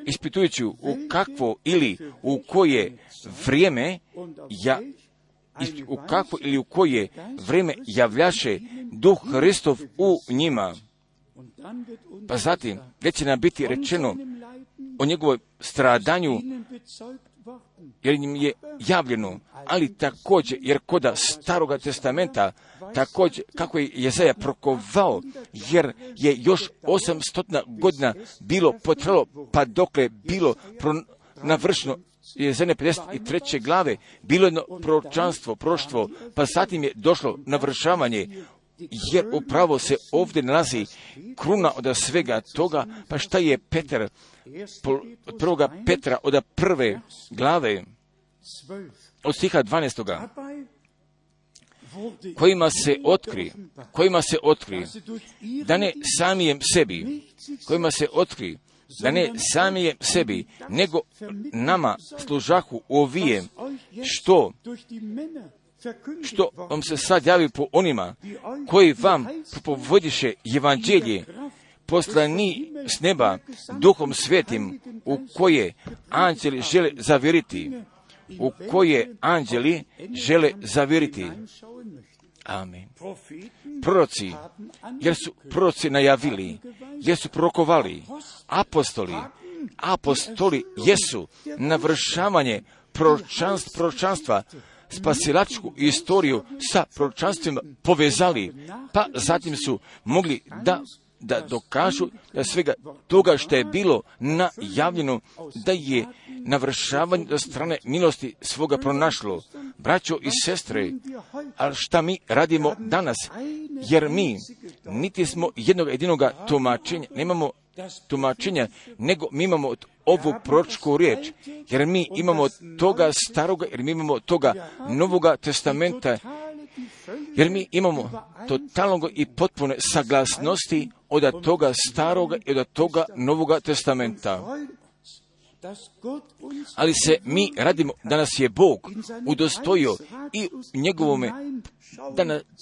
ispitujući u kakvo ili u koje vrijeme u koje vrijeme javljaše Duh Hristov u njima. Pa zatim, gdje će nam biti rečeno o njegovoj stradanju, jer im je javljeno, ali također, jer koda Staroga testamenta, također, kako je Jezaja prokovao, jer je još 800 godina bilo potrebalo, pa dokle bilo navršeno Jezaja 53. glave, bilo jedno proroštvo, pa zatim je došlo navršavanje, jer upravo se ovdje nalazi kruna od svega toga. Pa šta je Petar, od 1. Petra, od 1. glave, od stiha 12. kojima se otkri, da ne samijem sebi, nego nama služahu ovije, što vam se sad javi po onima koji vam propovodiše evanđelje, poslani s neba Duhom Svetim, u koje anđeli žele zaviriti. Amen. Proroci, jer su proroci najavili, jer su prorokovali, apostoli jesu navršavanje proročanstva, spasilačku istoriju sa proročanstvima povezali, pa zatim su mogli da dokažu da svega toga što je bilo najavljeno, da je navršavanje od strane milosti svoga pronašlo. Braćo i sestre, ali šta mi radimo danas? Jer mi niti smo jedinoga tumačenja, nemamo tumačenja, nego mi imamo ovu proročku riječ, jer mi imamo toga staroga, jer mi imamo toga Novoga testamenta, jer mi imamo totalnog i potpune saglasnosti od toga staroga i od toga Novoga testamenta. Ali se mi radimo da nas je Bog udostojio i njegovome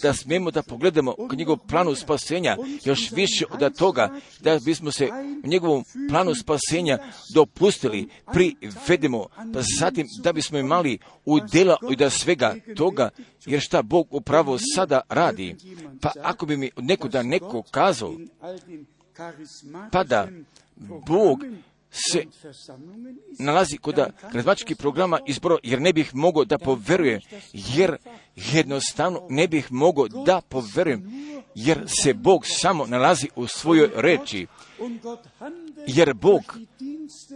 da smijemo da pogledamo k njegovom planu spasenja, još više od toga da bismo se u njegovom planu spasenja dopustili, privedemo, pa zatim da bismo imali udjela od svega toga, jer šta Bog upravo sada radi. Pa ako bi mi neko kazao, pa da Bog se nalazi kod karizmatičkih programa izbora, jer ne bih mogao da poverujem, jer jednostavno ne bih mogao da poverujem, jer se Bog samo nalazi u svojoj reči, jer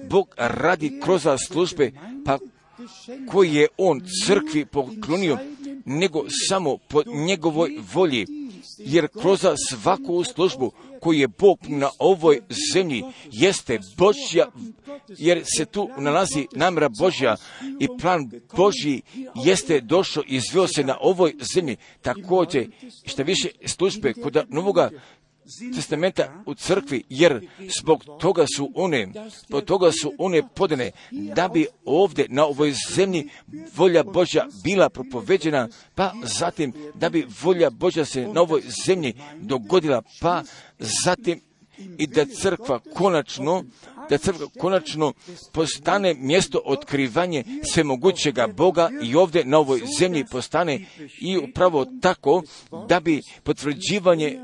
Bog radi kroz službe, pa koji je on crkvi poklonio, nego samo po njegovoj volji, jer kroz svaku službu koju je Bog na ovoj zemlji jeste Božja, jer se tu nalazi namjera Božja i plan Božji jeste došao i izveo se na ovoj zemlji. Također, što više službe kod Novoga testamenta u crkvi, jer zbog toga su one podane, da bi ovdje na ovoj zemlji volja Božja bila propoveđena, pa zatim da bi volja Božja se na ovoj zemlji dogodila, pa zatim i da crkva konačno postane mjesto otkrivanje svemogućega Boga i ovdje na ovoj zemlji postane i upravo tako da bi potvrđivanje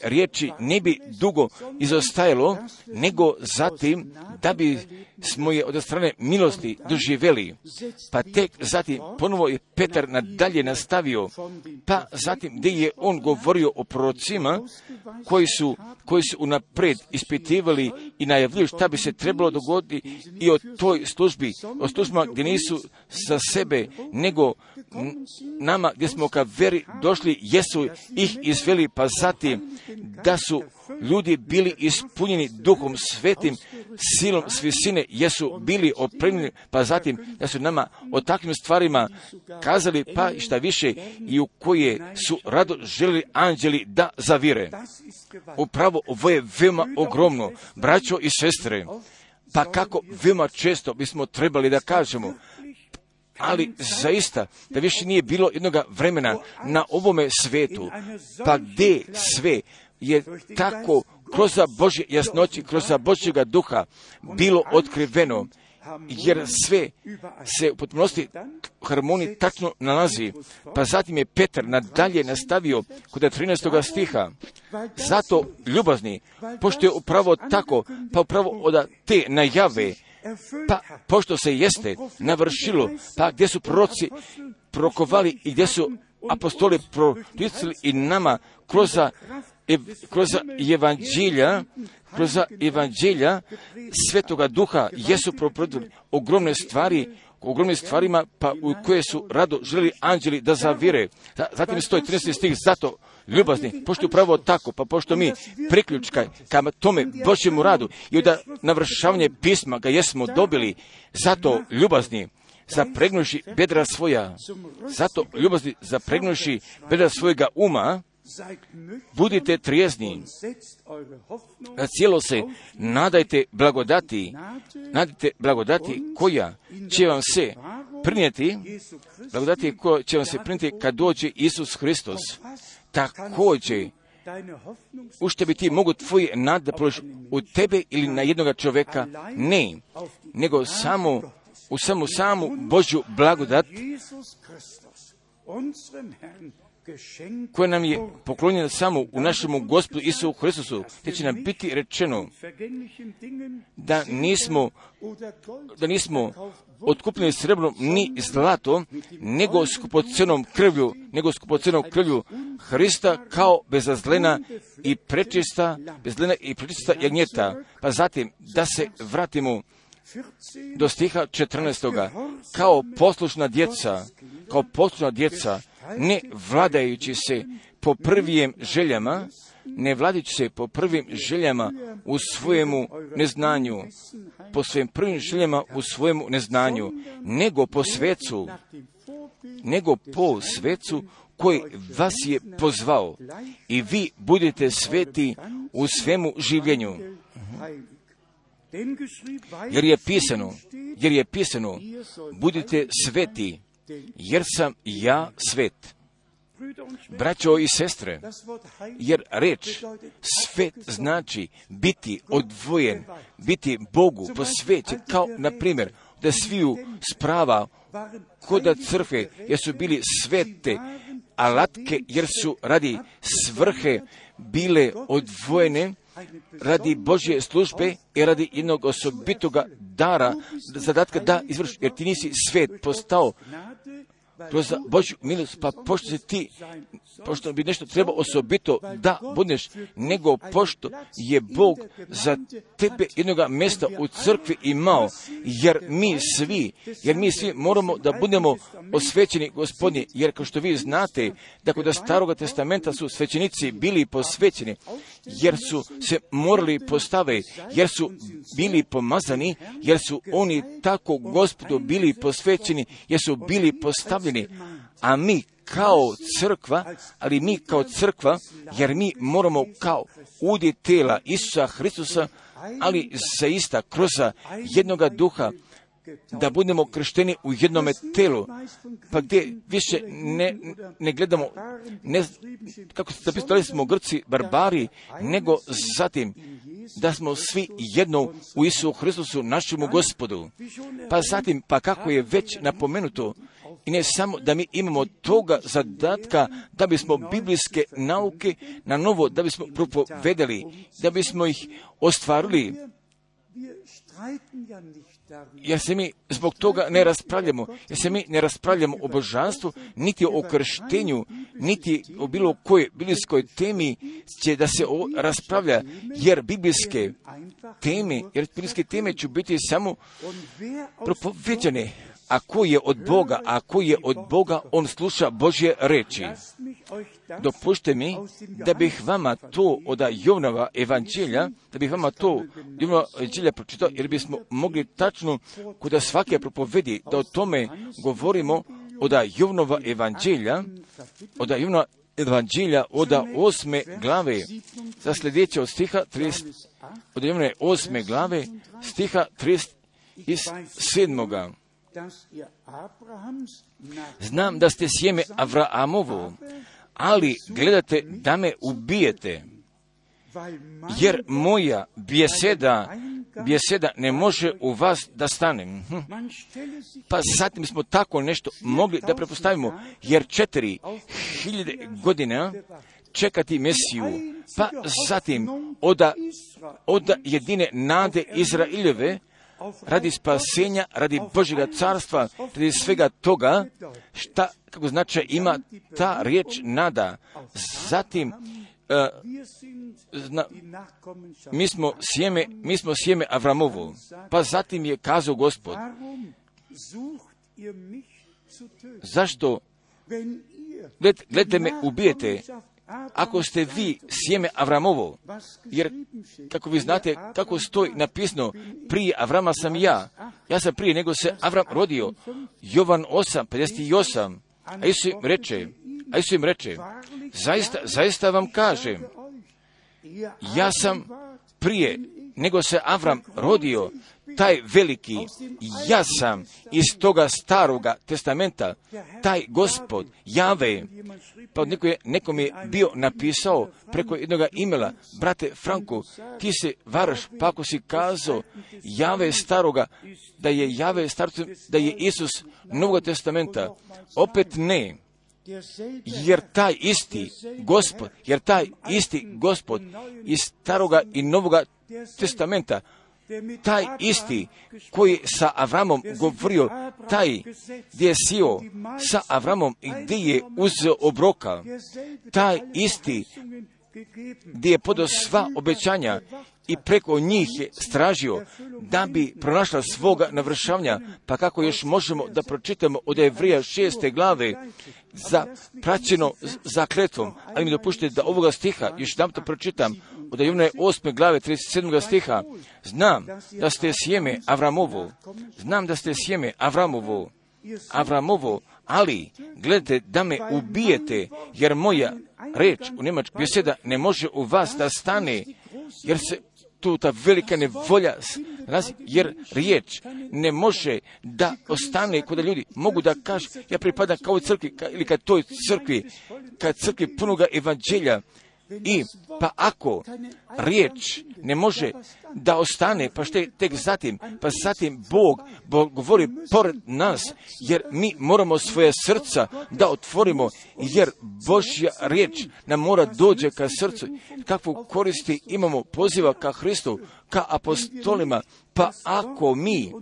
riječi ne bi dugo izostajalo, nego zatim da bi smo je od strane milosti doživjeli. Pa tek zatim ponovo je Petar nadalje nastavio, pa zatim gdje je on govorio o prorocima koji su unaprijed ispitivali i najavljuju šta bi se trebalo dogoditi i o toj službi, o službama gdje nisu za sebe, nego nama gdje smo ka veri došli, jesu ih izveli, pa zatim da su ljudi bili ispunjeni Duhom Svetim, silom s visine jesu bili opremljeni, pa zatim da su nama o takvim stvarima kazali, pa i šta više, i u koje su rado želili anđeli da zavire. Upravo ovo je veoma ogromno, braćo i sestre, pa kako veoma često bismo trebali da kažemo, ali zaista da više nije bilo jednoga vremena na ovome svetu, pa gdje sve je tako kroz Božje jasnoći, kroz Božjega duha bilo otkriveno, jer sve se u potpunosti harmoniji tačno nalazi. Pa zatim je Petar nadalje nastavio kod 13. stiha. Zato, ljubazni, pošto je upravo tako, pa upravo od te najave, pa pošto se jeste navršilo, pa gdje su proroci prokovali i gdje su apostoli proticali i nama kroz evanđelja Svetoga Duha jesu propovjedali ogromne stvarima, pa u koje su rado želeli anđeli da zavire. Zatim stoji 13. stih, zato ljubazni, pošto je upravo tako, pa pošto mi priključka ka tome Božjemu radu i da navršavanje pisma ga jesmo dobili, zato ljubazni, zapregnuši bedra svoja, zato ljubazni, zapregnuši bedra svojega uma, budite trijezni, na cijelo se nadajte blagodati koja će vam se prinijeti, kad dođe Isus Hristos. Također, u što bi ti mogu tvoje nade položiti u tebe ili na jednoga čovjeka? Ne, nego samo u samu Božju blagodat koja nam je poklonjena samo u našemu Gospodu Isusu Hristusu, te će nam biti rečeno da nismo otkupljeni srebrom ni zlatom, nego skupocenom krvlju Hrista kao bezazlena i prečista jagnjeta. Pa zatim da se vratimo do stiha 14. Kao poslušna djeca, ne vladajući se po prvim željama, u svojemu neznanju, nego po svecu koji vas je pozvao, i vi budete sveti u svemu življenju. Jer je pisano, budite sveti, jer sam ja svet. Braćo i sestre, jer reč svet znači biti odvojen, biti Bogu posvećen, kao na primjer da sviju sprava kod crkve, jer su bili svete alatke, jer su radi svrhe bile odvojene, radi Božje službe i radi jednog osobitoga dara, zadatka da izvrši, jer ti nisi svet postao kroz Božju milost, pa pošto bi nešto trebao osobito da budeš, nego pošto je Bog za tebe jednoga mjesta u crkvi imao, jer mi svi moramo da budemo osvećeni Gospodnje, jer kao što vi znate, da kod Staroga testamenta su svećenici bili posvećeni, jer su se morali postaviti, jer su bili pomazani, jer su oni tako Gospodu bili posvećeni, jer su bili postavljeni, a mi kao crkva, jer mi moramo kao udje tela Isusa Hristusa, ali zaista kroz jednoga duha, da budemo kršteni u jednome telu, pa gdje više ne gledamo, kako se zapisali, smo Grci, barbari, nego zatim da smo svi jedno u Isusu Hristusu, našemu Gospodu. Pa zatim, pa kako je već napomenuto, i ne samo da mi imamo toga zadatka da bismo biblijske nauke na novo, da bismo propovedali, da bismo ih ostvarili, jer se mi zbog toga ne raspravljamo o božanstvu, niti o krštenju, niti o bilo kojoj biblijskoj temi će da se raspravlja, jer biblijske teme će biti samo propoveđene. a koji je od Boga, a koji je od Boga, on sluša Božje reči. Dopušte mi da bih vama to od Jovanova evanđelja, pročitao, jer bismo mogli tačno kod svake propovedi da o tome govorimo od Jovanova evanđelja, od 8. glave, za sljedeće od stiha 30, od Jovnove 8. glave, stiha 37. Znam da ste sjeme Avraamovo, ali gledate da me ubijete, jer moja bjeseda ne može u vas da stane. Pa zatim smo tako nešto mogli da prepostavimo, jer 4000 godina čekati Mesiju, pa zatim od jedine nade Izraeljeve, radi spasenja, radi Božjega carstva, radi svega toga, kako značaj ima ta riječ nada. Zatim, mi smo sjeme Avramovo, pa zatim je kazao Gospod, zašto gledajte me ubijete, ako ste vi sjeme Avramovo, jer kako vi znate kako stoji napisano, prije Avrama sam ja sam prije nego se Avram rodio, Jovan 8:58, a Isus im reče, zaista vam kažem, ja sam prije nego se Avram rodio, taj veliki, ja sam iz toga staroga testamenta, taj Gospod, Jave. Pa nekom je bio napisao preko jednog imela, brate Franko, ti se varaš, pa ako si kazao Jave staroga, da je Isus Novog testamenta, opet ne. Jer taj isti Gospod iz staroga i Novoga testamenta, taj isti koji sa Avramom govorio, taj gdje je sio sa Avramom i gdje je uzeo obroka, taj isti gdje je podao sva obećanja i preko njih je stražio da bi pronašla svoga navršavanja. Pa kako još možemo da pročitamo od Evrija 6. glave praćeno zakletvom, ali mi dopuštite da ovoga stiha još jedan to pročitam, od Jovnove 8. glave 37. stiha. Znam da ste sjeme Avramovo, ali gledajte da me ubijete, jer moja reč u njemačkoj bjeseda ne može u vas da stane, jer se tu ta velika nevolja, jer riječ ne može da ostane kod ljudi. Mogu da kažu, ja pripadam kao crkvi, ili kad toj crkvi punoga evanđelja, i pa ako riječ ne može da ostane, pa što je tek zatim, Bog govori pored nas, jer mi moramo svoje srca da otvorimo, jer Božja riječ nam mora dođe ka srcu. Kakvu koristi imamo poziva ka Hristu, ka apostolima, pa ako mi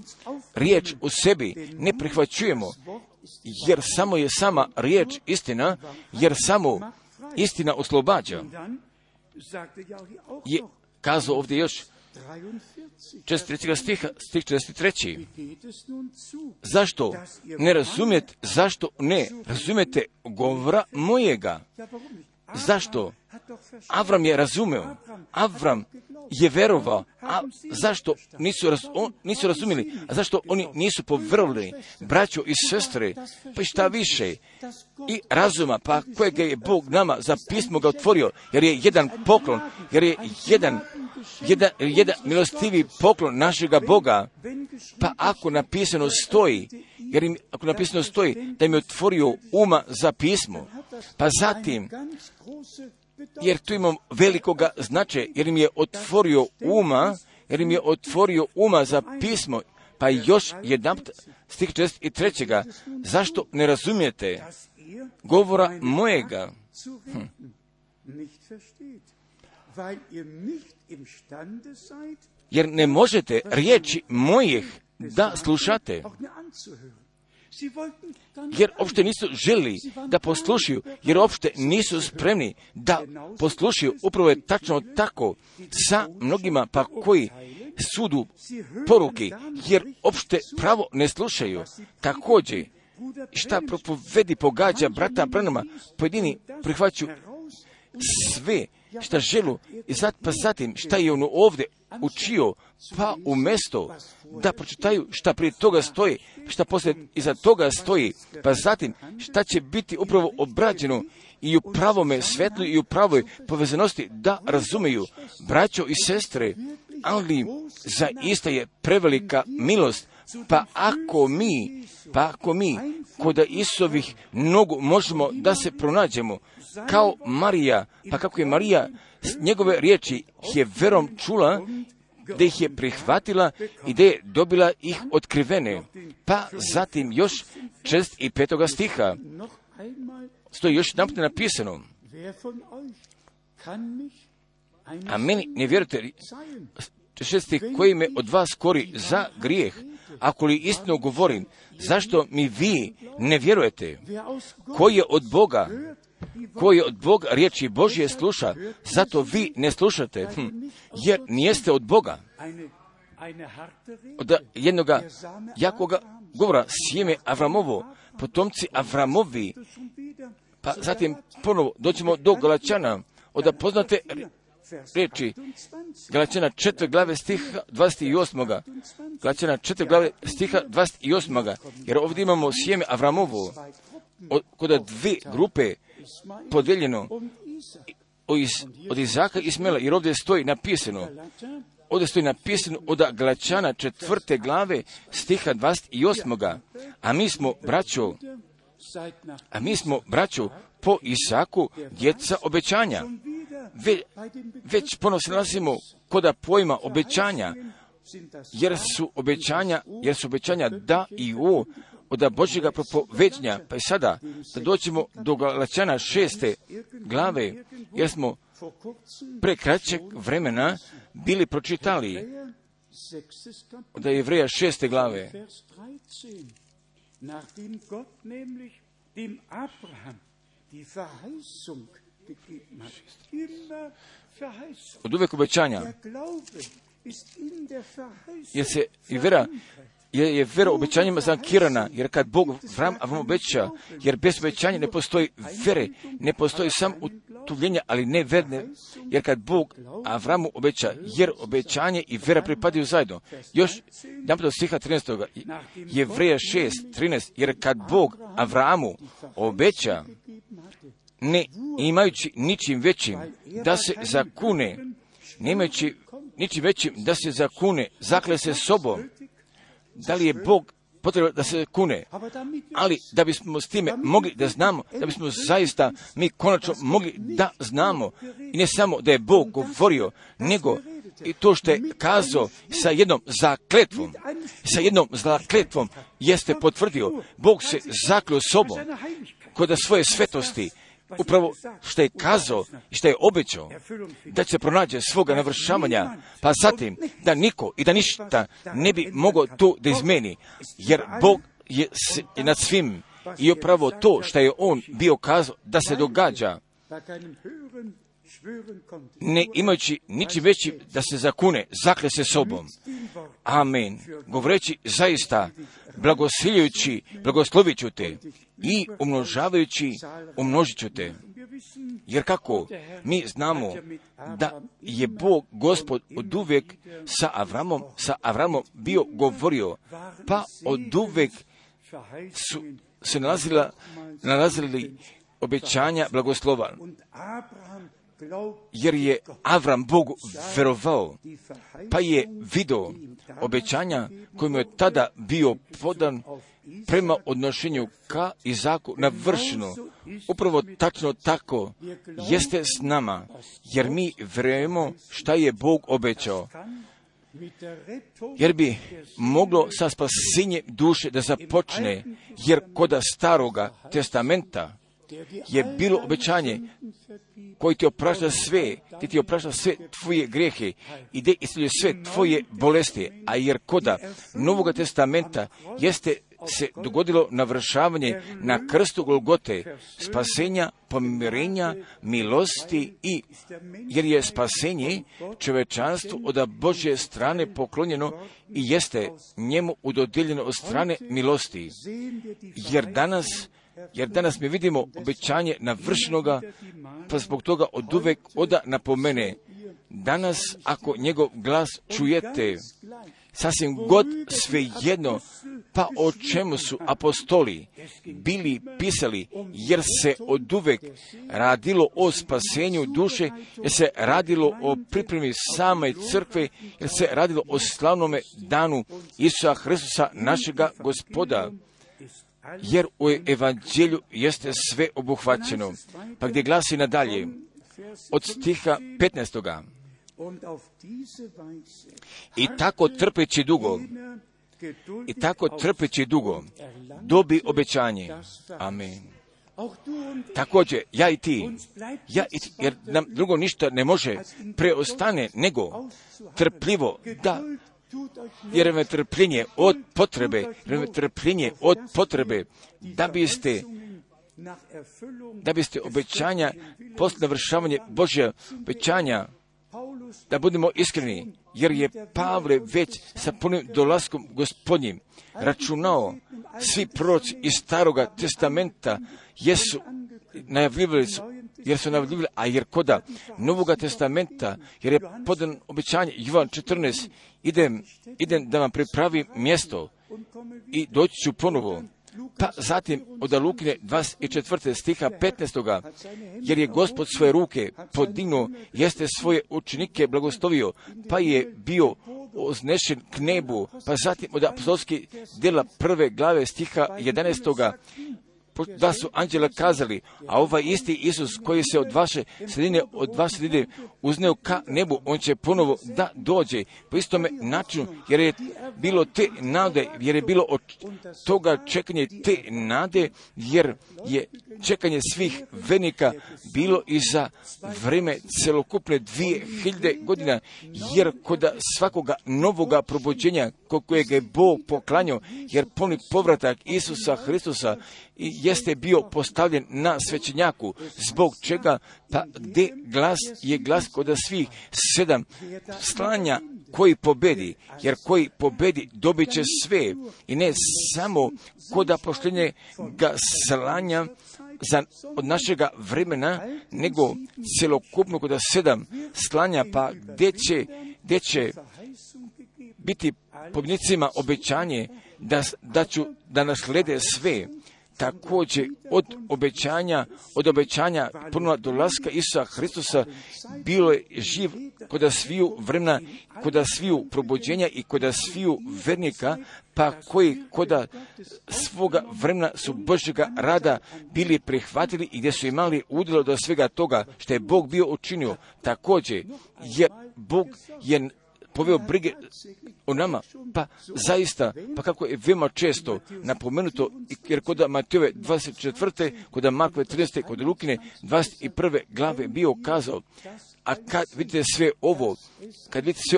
riječ u sebi ne prihvaćujemo, jer samo je sama riječ istina, jer samo istina oslobađa. Je kazao ovdje još 43. stih 43. Zašto ne razumijete govora mojega? Zašto? Avram je razumeo. Avram je verovao. A zašto nisu razumjeli? A zašto oni nisu povjerovali? Braćo i sestre, pa šta više? I razuma, pa kojega je Bog nama za pismo ga otvorio, jer je jedan poklon, jer je jedan milostivi poklon našega Boga. Pa ako napisano stoji da im je otvorio uma za pismo, pa zatim, jer tu imam velikoga značaja, jer im je otvorio uma za pismo, pa još jedan stih 43. Zašto ne razumijete govora mojega? Jer ne možete riječi mojih da slušate. Jer uopšte nisu želi da poslušaju, jer uopšte nisu spremni da poslušaju. Upravo je tačno tako sa mnogima, pa koji sudu poruke, jer opšte pravo ne slušaju. Također, šta propovedi pogađa brata Branhama, pojedini prihvaćaju sve šta želu i zatim šta je on ovdje učio, pa umjesto da pročitaju šta prije toga stoji, šta poslije iza toga stoji, pa zatim šta će biti upravo obrađeno i u pravome svetlu i u pravoj povezanosti, da razumiju, braćo i sestre, ali zaista je prevelika milost, pa ako mi kod Isusovih nogu možemo da se pronađemo kao Marija, pa kako je Marija njegove riječi je verom čula, da ih je prihvatila i da je dobila ih otkrivene. Pa zatim još 6. i 5. stiha stoji još jedanput napisano: a meni ne vjerujete, 6. koji me od vas kori za grijeh, ako li istinu govorim, zašto mi vi ne vjerujete? Koji je od Boga riječi Božje sluša, zato vi ne slušate, jer nijeste od Boga. Od jednoga jakoga govora, sjeme Avramovo, potomci Avramovi, pa zatim ponovo doćemo do Galačana, od poznate riječi Galačana 4. glave stiha 28. Galačana 4. glave stiha 28. Jer ovdje imamo sjeme Avramovo, kod dvije grupe podijeljeno od Izaka i Ismaela, jer ovdje stoji napisano od Galačana 4. glave stiha 28. A mi smo, braćo, po Isaku djeca obećanja. Već ponovno se nalazimo kod pojma obećanja, jer su obećanja da i u od Božjega propoveđenja. Pa i sada da doćemo do Galačana 6. glave, jer smo pre kraćeg vremena bili pročitali od Jevreja 6. glave. Od uvijek obećanja, jer je vera obećanjima zankirana, jer kad Bog Avram obeća, jer bez obećanja ne postoji vere, ne postoji sam utuvljenja, ali ne verne, jer kad Bog Avramu obeća, jer obećanje i vera pripadaju zajedno. Još jedan do stiha 13. Jevreja 6:13, jer kad Bog Avramu obeća, ne imajući ničim većim da se zakune, nemajući ničim većim da se zakune, zakle se sobom. Da li je Bog potrebno da se kune? Ali da bismo s time mogli da znamo, da bismo zaista mi konačno mogli da znamo, i ne samo da je Bog govorio, nego i to što je kazao sa jednom zakletvom jeste potvrdio. Bog se zakleo sobom kod svoje svetosti, upravo što je kazao i što je obećao, da će pronađe svoga navršavanja, pa zatim da niko i da ništa ne bi mogao to da izmeni, jer Bog je nad svim i upravo to što je On bio kazao da se događa, ne imajući ničim većim da se zakune, zakle se sobom. Amen. Govoreći zaista, blagoslovit ću te i umnožavajući, umnožit ću te. Jer kako mi znamo da je Bog, Gospod, od uvijek sa Avramom bio govorio, pa od uvijek su se nalazili obećanja blagoslova. Jer je Avram Bogu verovao, pa je vidio obećanja kojim je tada bio podan prema odnošenju ka Izaku navršeno. Upravo tačno tako jeste s nama, jer mi vjerujemo šta je Bog obećao. Jer bi moglo sa spasenjem duše da započne, jer kod Staroga testamenta je bilo obećanje koji ti oprašta sve, ti oprašta sve tvoje grijehe i gdje isceljuje sve tvoje bolesti, a jer koda Novoga testamenta jeste se dogodilo navršavanje na krstu Golgote, spasenja, pomirenja, milosti i jer je spasenje čovečanstvu od Božje strane poklonjeno i jeste njemu udodijeljeno od strane milosti. Jer danas mi vidimo obećanje navršenoga, pa zbog toga oduvek oda napomene. Danas, ako njegov glas čujete, sasvim god svejedno, pa o čemu su apostoli bili pisali, jer se oduvek radilo o spasenju duše, jer se radilo o pripremi same crkve, jer se radilo o slavnome danu Isusa Hristusa, našega Gospoda. Jer u evanđelju jeste sve obuhvaćeno. Pa gdje glasi nadalje, od stiha 15. I tako trpeći dugo, dobi obećanje. Amen. Također, ja i ti, jer nam drugo ništa ne može preostane, nego trpljivo da, jer me trpljenje od potrebe, da biste obećanja, poslije navršavanje Božja obećanja, da budemo iskreni, jer je Pavle već sa punim dolaskom Gospodnjim računao, svi proroci iz Staroga testamenta jesu najavljivali, a jer koda Novoga testamenta, jer je podan obećanje, Jovan 14, idem da vam pripravim mjesto i doći ću ponovo. Pa zatim od Lukine 24. stiha 15. jer je Gospod svoje ruke podignuo, jeste svoje učenike blagoslovio, pa je bio oznešen k nebu. Pa zatim od apostolskih djela 1. glave stiha 11. da su anđela kazali, a ovaj isti Isus koji se od vaše sredine uzneo ka nebu, on će ponovo da dođe. Po istome načinu, jer je bilo te nade, jer je bilo od toga čekanje te nade, jer je čekanje svih vernika bilo i za vrijeme celokupne 2000 godina, jer kod svakoga novoga probuđenja kojeg je Bog poklanjao, jer puni povratak Isusa Hristusa jeste bio postavljen na svećenjaku, zbog čega pa gdje je glas kod svih 7 slanja koji pobedi, jer koji pobedi dobit će sve, i ne samo kod poštenje ga slanja od našega vremena, nego celokupno kod 7 slanja, pa gdje će biti pobjednicima obećanje da naslede sve. Također od obećanja ponovno dolaska Isusa Hristusa bilo je živ kod sviju vremena, kod sviju probuđenja i kod sviju vernika, pa koji kod svoga vremena su Božjega rada bili prihvatili i gdje su imali udjelo do svega toga što je Bog bio učinio. Također, jer Bog je poveo brige o nama, pa zaista, pa kako je veoma često napomenuto, jer kod Matejove 24. kod Markove 13. kod Lukine 21. glave bio kazao, a kad vidite sve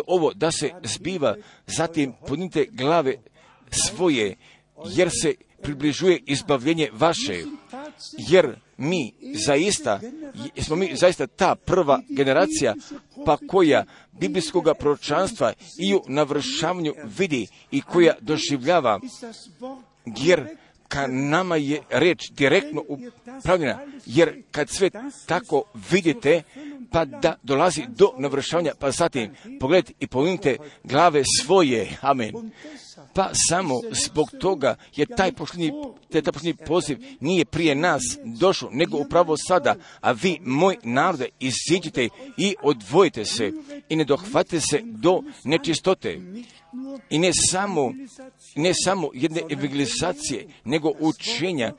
ovo da se zbiva, zatim podnite glave svoje, jer se približuje izbavljenje vaše, jer smo mi zaista ta prva generacija, pa koja biblijskog proročanstva i u navršavanju vidi i koja doživljava, jer ka nama je reč direktno upravljena, jer kad sve tako vidite, pa da dolazi do navršavanja, pa zatim pogledajte i povinite glave svoje, amen. Pa samo zbog toga je taj posljednji poziv nije prije nas došao, nego upravo sada, a vi, moj narode, iziđite i odvojite se i ne dohvatite se do nečistote. I ne samo jedne evangelizacije, nego učenja,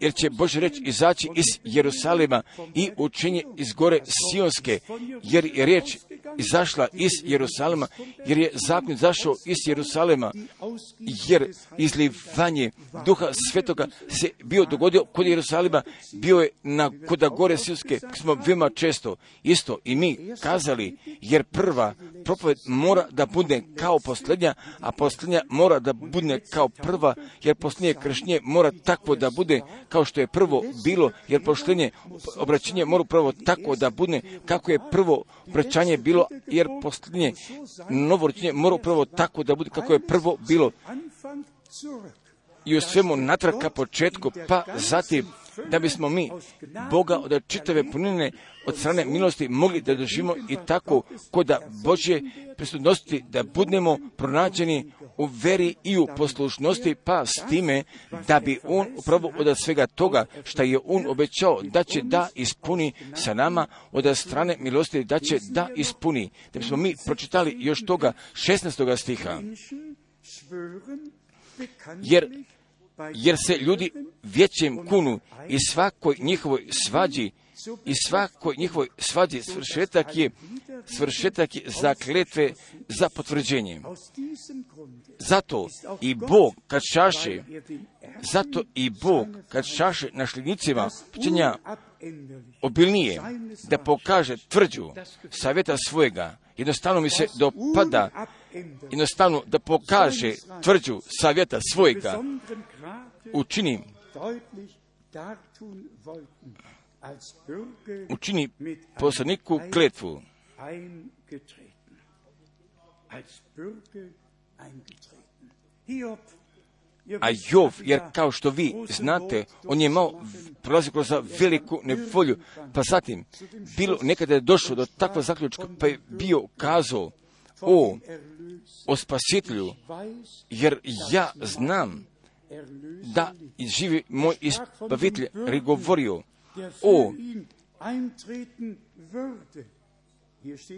jer će Božja reč izaći iz Jerusalima i učenje iz gore Sionske, jer je riječ izašla iz Jerusalema, jer je zakon izašao iz Jerusalema, jer izlivanje Duha Svetoga se bio dogodio kod Jerusalema, bio je kod gore Silske, smo veoma često isto i mi kazali, jer prva propoved mora da bude kao posljednja, a posljednja mora da bude kao prva, jer posljednje krštenje mora takvo da bude kao što je prvo bilo, jer posljednje obraćanje mora prvo tako da bude kako je prvo obraćanje bilo, jer posljednje novorođenje mora prvo tako da bude kako je prvo bilo. I u svemu natrag ka početku, pa zatim da bismo mi Boga od čitave punine od strane milosti mogli da doživimo i tako kod Božje prisutnosti da budemo pronađeni u veri i u poslušnosti, pa s time da bi On upravo od svega toga što je On obećao da će da ispuni sa nama od strane milosti, da će da ispuni. Da bismo mi pročitali još toga 16. stiha. Jer se ljudi vječjem kunu i svakoj njihovoj svađi svršetak je zakletve za potvrđenje. Zato i Bog kad šaše našlednicima učenja obilnije da pokaže tvrđu savjeta svojega, jednostavno mi se dopada, jednostavno da pokaže tvrđu savjeta svojega, učini poslaniku kletvu. A Jov, jer kao što vi znate, on je prolazio kroz veliku nevolju, pa zatim bilo nekada je došlo do takva zaključka, pa je bio kazao o spasitelju, jer ja znam da živi moj izbavitelj, govorio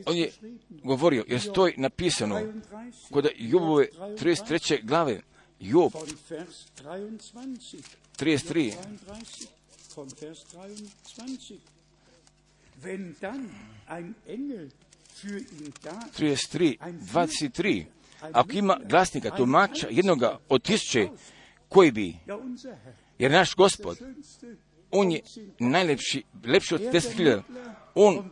on je govorio, jer stoji napisano kod Jobove 33. glave, Job 33. 23. Ako ima glasnika, tumača, jednoga od 1000 koji bi, jer naš Gospod, on je lepši od 10.000, on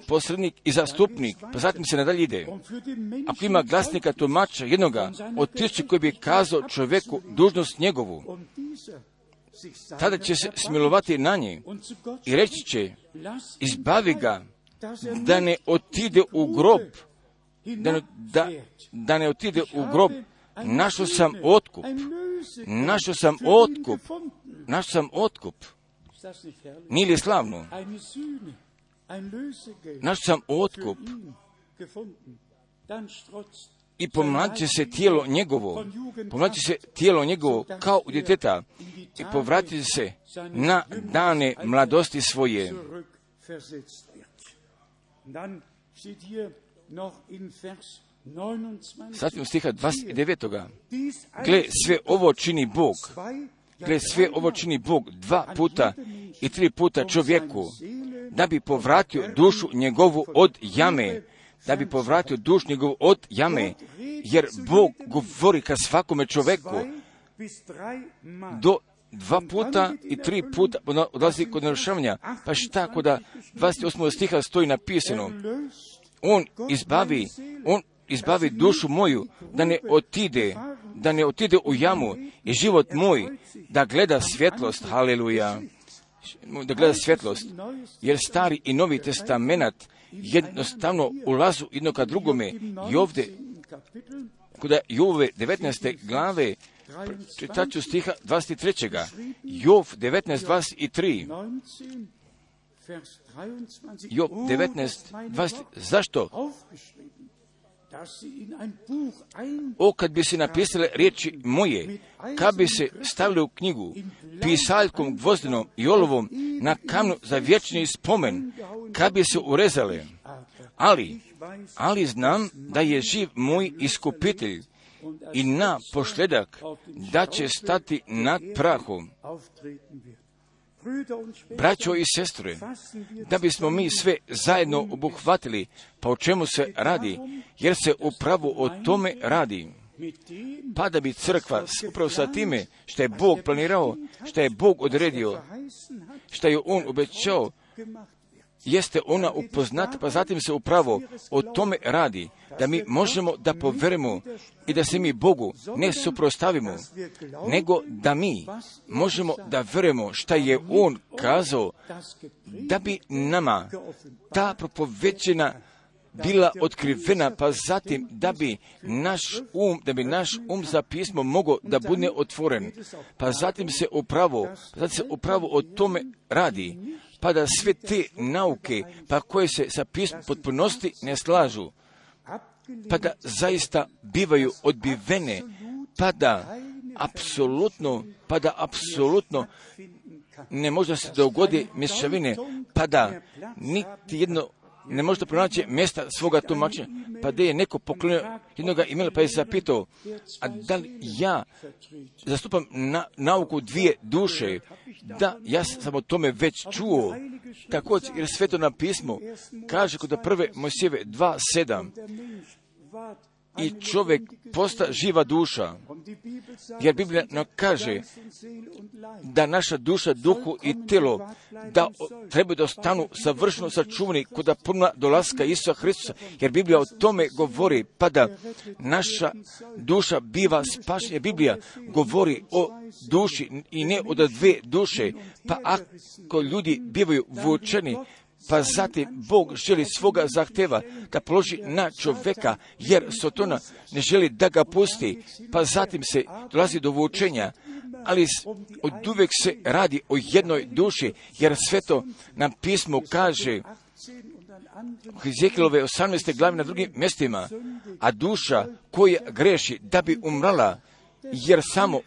posrednik i zastupnik, pa zatim se nadalje ide. Ako ima glasnika, tumača, jednoga od 1000 koji bi kazao čovjeku dužnost njegovu, tada će se smilovati na nje i reći će, izbavi ga, da ne otide u grob, da ne otide u grob. Našao sam otkup. Nije li slavno? Našao sam otkup. I pomladit će se tijelo njegovo kao u djeteta i povratit se na dane mladosti svoje. Zatim stiha 29. Gle, sve ovo čini Bog 2 puta i 3 puta čovjeku, da bi povratio dušu njegovu od jame, jer Bog govori ka svakome čovjeku do 2 puta i 3 puta odlazi kod narušavanja. Pa šta kod 28. stiha stoji napisano, on izbavi dušu moju da ne otide u jamu i život moj da gleda svjetlost, haleluja, da gleda svjetlost, jer Stari i Novi testament jednostavno ulazu jedno ka drugome. I ovdje, kod Jove 19. glave, čitat ću stiha 23. Jov 19.23. Job 19.20. Zašto? Kad bi se napisale riječi moje, kad bi se stavili u knjigu pisaljkom gvozdenom i olovom na kamnu za vječni spomen, kad bi se urezale. Ali znam da je živ moj iskupitelj i na pošljedak da će stati nad prahom. Braćo i sestre, da bismo mi sve zajedno obuhvatili, pa o čemu se radi, jer se upravo o tome radi. Pa da bi crkva upravo sa time što je Bog planirao, što je Bog odredio, što je On obećao, jeste ona upoznata, pa zatim se upravo o tome radi, da mi možemo da poverujemo i da se mi Bogu ne suprotstavimo, nego da mi možemo da verujemo šta je On kazao, da bi nama ta propoveđena bila otkrivena, pa zatim da bi naš um za pismo mogao da bude otvoren, pa zatim se upravo o tome radi, pa da sve te nauke, pa koje se sa pismom potpunosti ne slažu, pa da zaista bivaju odbivene, pa da apsolutno ne može se dogodi mješavine, pa da niti jedno ne može pronaći mjesta svoga tumačenja, pa da je neko poklonio jednoga imela, pa je zapitao, a da li ja zastupam nauku dvije duše? Da, ja sam o tome već čuo. Također, jer Sveto na pismo kaže kod prve Mojsijeve 2:7, i čovjek posta živa duša, jer Biblija nam kaže da naša duša, duhu i telo da trebaju da ostanu savršeno sačuvani kod punoga dolaska Isusa Hristusa, jer Biblija o tome govori, pa da naša duša biva spašena. Biblija govori o duši i ne od dve duše, pa ako ljudi bivaju vučeni, pa zatim Bog želi svoga zahteva da položi na čovjeka, jer Sotona ne želi da ga pusti, pa zatim se dolazi do vučenja, ali od uvijek se radi o jednoj duši, jer Sveto nam pismo kaže u Hezekilove 18. glavi na drugim mjestima, a duša koja greši da bi umrala, jer samo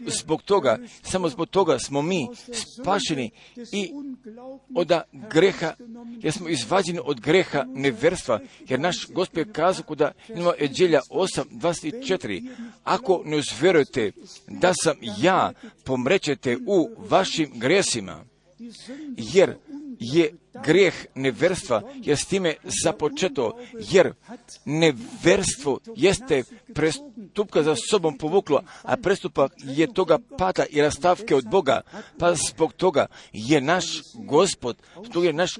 zbog toga smo mi spašeni i od greha, jer smo izvađeni od greha neverstva, jer naš Gospod je kazao kod Evanđelja 8:24, ako ne uzverujete da sam ja, pomrećete u vašim gresima, jer je grijeh neverstva, jer s time započeto, jer neverstvo jeste prestupka za sobom povuklo, a prestupak je toga pada i rastavke od Boga, pa zbog toga je naš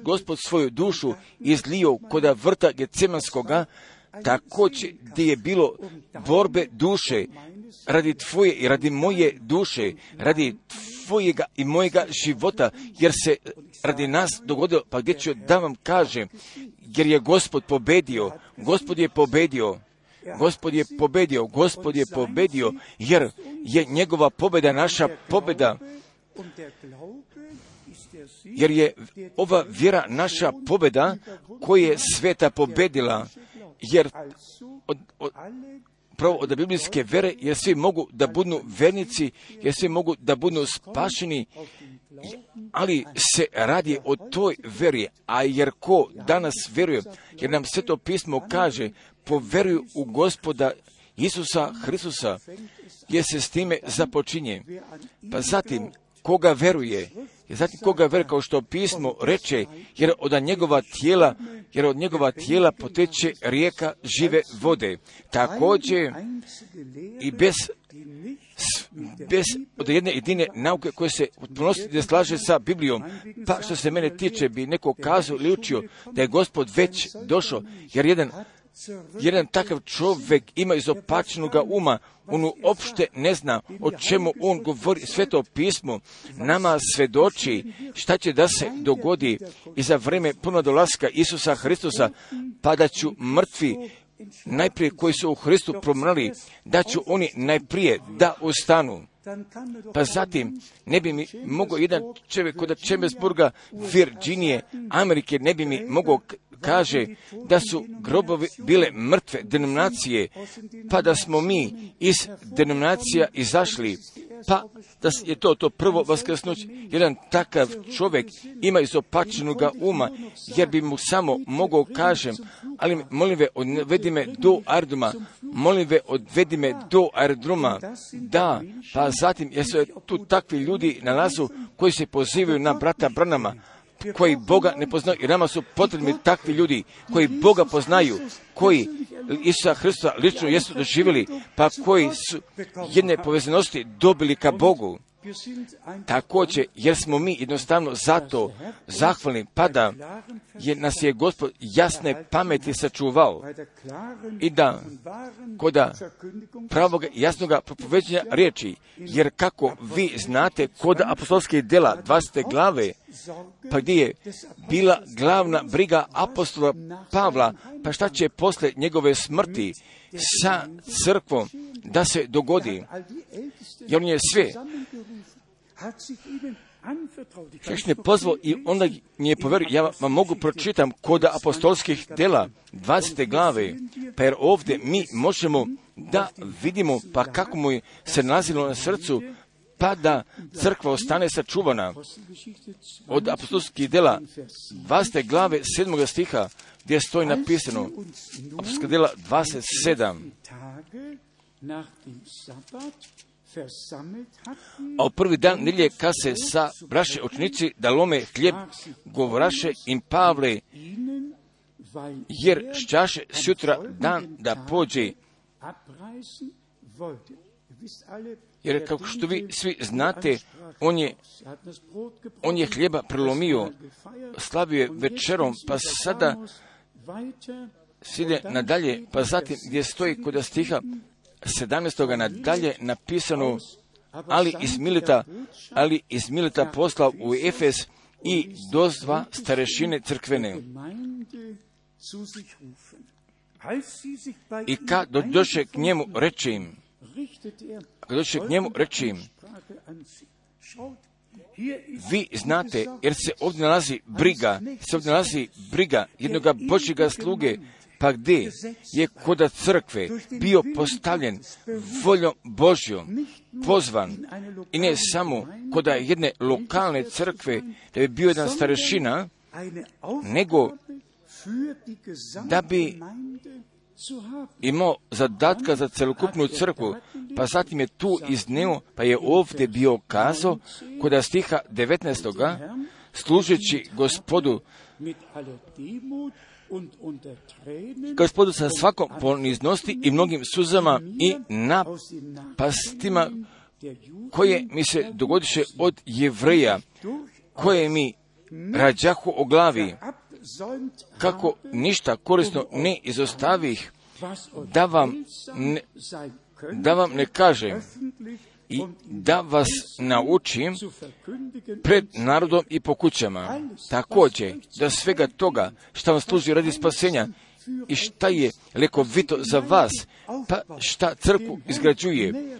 Gospod svoju dušu izlio kod vrta Getsemanskoga, također gdje je bilo borbe duše, radi tvoje i radi moje duše, radi tvojega i mojega života, jer se radi nas dogodilo, pa gdje ću da vam kažem, jer je Gospod pobedio, jer je njegova pobjeda naša pobjeda, jer je ova vjera naša pobjeda koja je sveta pobedila, jer od biblijske vere, jer svi mogu da budu vernici, jer svi mogu da budu spašeni, ali se radi o toj veri, a jer ko danas vjeruje, jer nam Sveto pismo kaže, poveruju u Gospoda Isusa Hristusa, jer se s time započinje. Pa zatim, koga veruje, kao što pismo reče, jer od njegova tijela poteče rijeka žive vode. Također i bez od jedne jedine nauke koje se u potpunosti ne slaže sa Biblijom, pa što se mene tiče bi neko kazao ili učio da je Gospod već došao, jer jedan takav čovjek ima izopačenoga uma, on uopšte ne zna o čemu on govori. Sveto pismo nama svedoči šta će da se dogodi i za vrijeme puno dolaska Isusa Hristusa, pa da ću mrtvi najprije koji su u Hristu promrli, da ću oni najprije da ustanu. Pa zatim ne bi mi mogao jedan čovjek kod Chambersburga, Virginije, Amerike, ne bi mi mogao kaže da su grobovi bile mrtve denominacije, pa da smo mi iz denominacija izašli, pa da je to prvo vaskrsnuće. Jedan takav čovjek ima izopačenoga uma, jer bi mu samo mogao kažem, ali molim ve, odvedi me do aerodroma, molim ve, odvedi me do aerodroma, da, pa zatim, jer se tu takvi ljudi nalazu koji se pozivaju na brata Branama, koji Boga ne poznaju, i nama su potrebni takvi ljudi koji Boga poznaju, koji Isusa Hrista lično jesu doživjeli, pa koji su jedne povezanosti dobili ka Bogu. Također, jer smo mi jednostavno zato zahvalni, pa da je nas je Gospod jasne pameti sačuvao i da koda pravoga jasnoga propoveđenja riječi, jer kako vi znate kod apostolskih djela 20. glave, pa gdje je bila glavna briga apostola Pavla, pa šta će posle njegove smrti sa crkvom da se dogodi, jer on je sve Kršne pozvao i onda mi je poverio, ja vam mogu pročitam kod apostolskih djela 20. glave, pa jer ovdje mi možemo da vidimo pa kako mu se nalazilo na srcu, pa da crkva ostane sačuvana. Od apostolskih djela 20. glave 7. stiha gdje stoji napisano, apostolska djela 27. A u prvi dan nedjelje kad se sa braše učenici da lome hljeb, govoraše im Pavle, jer šćaše sutra dan da pođe. Jer kao što vi svi znate, on je hljeba prelomio, slavio je večerom, pa sada ide nadalje, pa zatim gdje stoji kod stiha 17. nadalje napisano, ali iz Mileta poslao u Efes i dozva starešine crkvene. I kad dođe k njemu reče im, vi znate, jer se ovdje nalazi briga jednoga Božjega sluge, pa gdje je kod crkve bio postavljen voljom Božjom, pozvan, i ne samo kod jedne lokalne crkve, da bi bio jedan starešina, nego da bi imao zadatka za celokupnu crkvu, pa zatim je tu izneo, pa je ovdje bio kazao, kod stiha 19. služeći Gospodu sa svakom poniznosti i mnogim suzama i napastima koje mi se dogodiše od Jevreja, koje mi rađahu o glavi, kako ništa korisno ne izostavih, da vam ne kažem i da vas naučim pred narodom i po kućama. Također, da svega toga što vam služi radi spasenja i šta lekovito za vas, pa šta crkvu izgrađuje,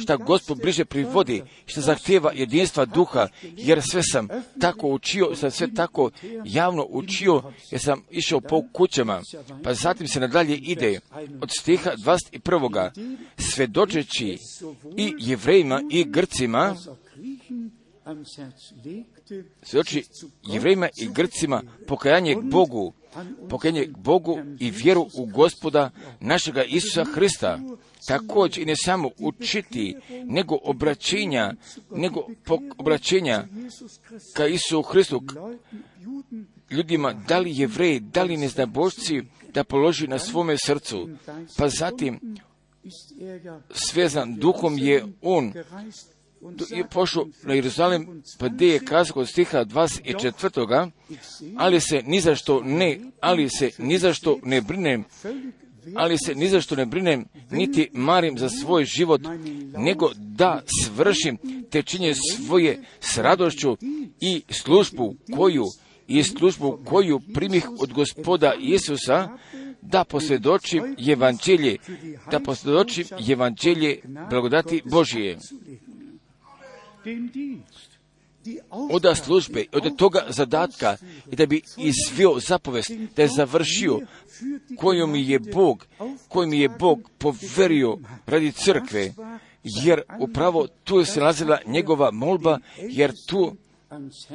šta Gospod bliže privodi, šta zahtjeva jedinstva duha, jer sve sam tako učio, sam sve tako javno učio, jer sam išao po kućama. Pa zatim se nadalje ide od stiha 21. Svedočeći i Jevrejima i Grcima, pokajanje k Bogu i vjeru u Gospoda našega Isusa Hrista. Također i ne samo učiti, nego obraćenja ka Isusu Hristu, ljudima, da li Jevreji, da li neznabošci, da položi na svome srcu. Pa zatim, svezan duhom je on je pošao na Jeruzalem, pa gdje je kazao kod stiha 24. ali se ni zašto ne brinem, niti marim za svoj život, nego da svršim te činje svoje s radošću i službu koju primih od Gospoda Isusa, da posvjedočim evanđelje blagodati Božije. Od službe, od toga zadatka i da bi izvio zapovest, da je završio koju mi je Bog poverio radi crkve, jer upravo tu se nalazila njegova molba,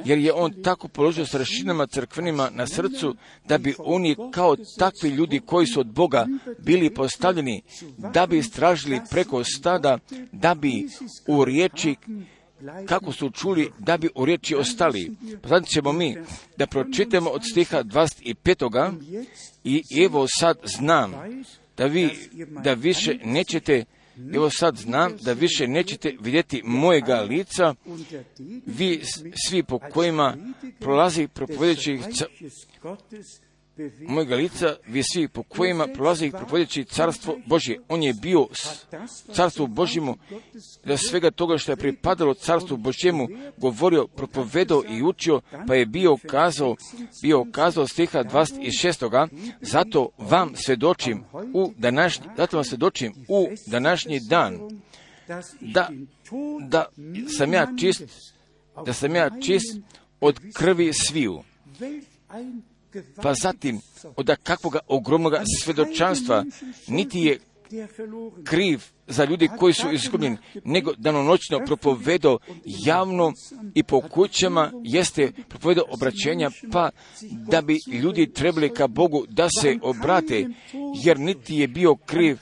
jer je on tako položio starešinama crkvenima na srcu, da bi oni kao takvi ljudi koji su od Boga bili postavljeni, da bi istražili preko stada, da bi u riječi, kako su čuli, da bi u riječi ostali. Sad ćemo mi da pročitamo od stiha 25. I evo sad znam da više nećete, evo sad znam da više nećete vidjeti mojega lica, vi svi po kojima prolazi propovedajući mojega lica, vi svi po kojima prolazi propovedajući carstvo Božje. On je bio carstvu Božjemu, da svega toga što je pripadalo carstvu Božjemu govorio, propovedao i učio, pa je bio kazao stiha 26. Zato vam svjedočim u današnji dan, da sam ja čist od krvi sviju. Pa zatim, od kakvoga ogromnoga svjedočanstva, niti je kriv za ljudi koji su izgubljeni, nego danonoćno propovedao javno i po kućama jeste propovedao obraćenja, pa da bi ljudi trebali ka Bogu da se obrate, jer niti je bio kriv,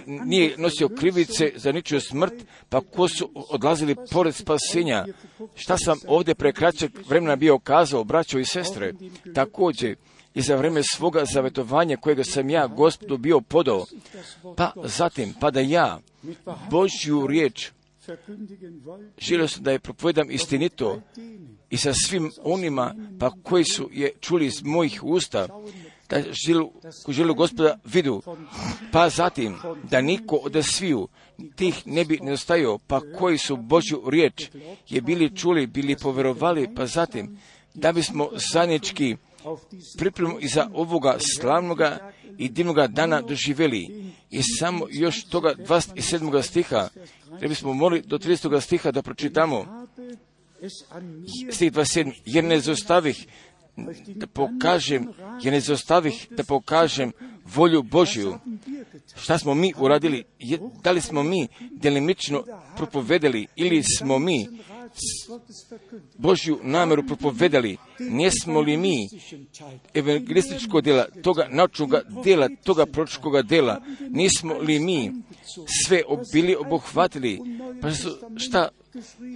nije nosio krivice za ničiju smrt, pa ko su odlazili pored spasenja. Šta sam ovdje pre kraćeg vremena bio kazao, braćo i sestre, također i za vrijeme svoga zavetovanja kojega sam ja Gospodu bio podao, pa zatim, pa da ja Božju riječ želio sam da je propovedam istinito i sa svim onima pa koji su je čuli iz mojih usta, da želu Gospoda vidu, pa zatim da niko od sviju tih ne bi nedostajao, pa koji su Božju riječ je bili čuli, bili povjerovali, pa zatim da bismo zajednički pripremu iza ovoga slavnoga i divnoga dana doživjeli. I samo još toga 27. stiha, da bismo mogli do 30. stiha da pročitamo. Stih 27. Jer ne zostavih da pokažem volju Božju. Šta smo mi uradili? Da li smo mi delimično propovedali ili smo mi Božju namjeru propovedali? Nismo li mi evangelističkog djela, toga naučnog djela, toga proročkoga djela, nismo li mi sve bili obuhvatili? Pa šta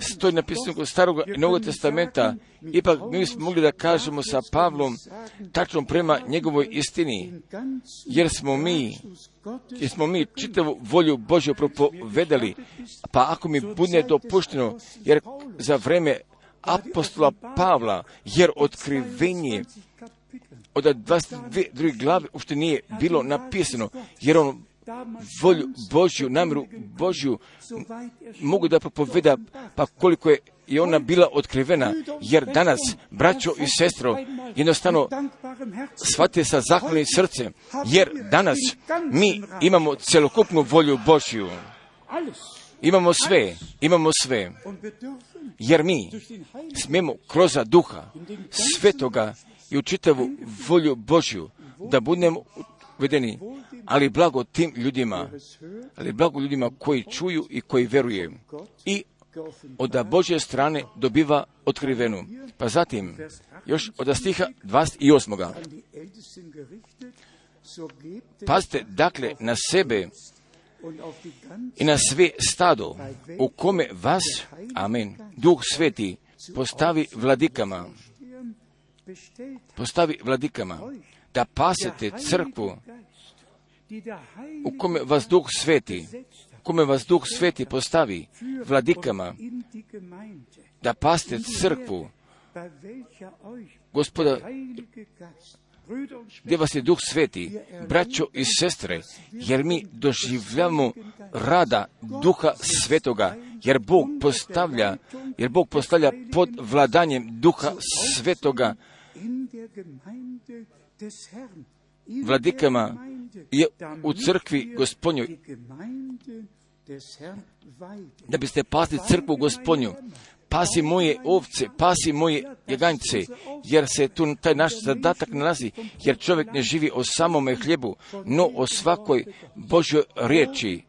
stoji napisano kod Starog i Novog testamenta, ipak mi smo mogli da kažemo sa Pavlom tačno prema njegovoj istini, jer smo mi čitavu volju Božju propovedali. Pa ako mi bude dopušteno, jer za vreme apostola Pavla, jer otkrivenje od 22 glave uopšte nije bilo napisano, jer on volju Božju, namjeru Božju mogu da propoveda, pa koliko je i ona bila otkrivena, jer danas, braćo i sestro, jednostavno shvatite sa zahvalnim srcem, jer danas mi imamo celokupnu volju Božju. Imamo sve, jer mi smijemo kroz Duha Svetoga i u čitavu volju Božju da budemo vedeni, ali blago tim ljudima, koji čuju i koji vjeruje i od Božje strane dobiva otkrivenu. Pa zatim, još od stiha 28. Pazite, dakle, na sebe i na sve stado, u kome vas, amen, Duh Sveti postavi vladikama, da pasete crkvu, u kome vas Duh Sveti postavi vladikama, da pasete crkvu, Gospoda, gdje vas je Duh Sveti, braćo i sestre, jer mi doživljamo rada Duha Svetoga, jer Bog postavlja pod vladanjem Duha Svetoga vladikama je u crkvi Gospodnjoj, da biste pasli crkvu Gospodnju. Pasi moje ovce, pasi moje jaganjce, jer se tu taj naš zadatak nalazi, jer čovjek ne živi o samome hljebu, no o svakoj Božjoj riječi.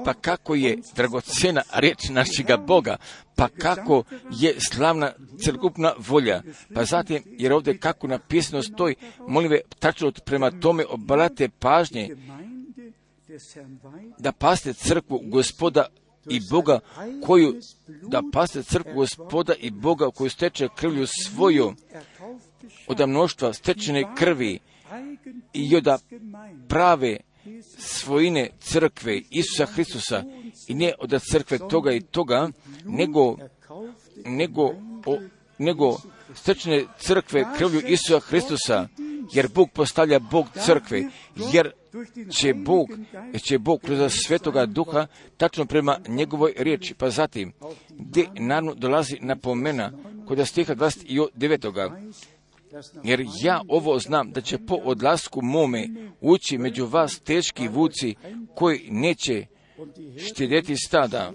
pa kako je dragocena riječ našega Boga, pa kako je slavna celokupna volja, pa zatim, jer ovdje kako napisano stoji, molim ve, tačno prema tome obrate pažnje, da paste crkvu Gospoda i Boga koju steče krvlju svoju, od mnoštva stečene krvi i od prave svojine crkve Isusa Hristusa, i ne od crkve toga i toga, nego stečene crkve krvlju Isusa Hristusa, jer Bog postavlja Bog crkve, jer će Bog kroz Svetoga Duha tačno prema njegovoj riječi. Pa zatim, gdje naravno dolazi napomena kod stiha 29. Jer ja ovo znam, da će po odlasku mome ući među vas teški vuci koji neće štedjeti stada.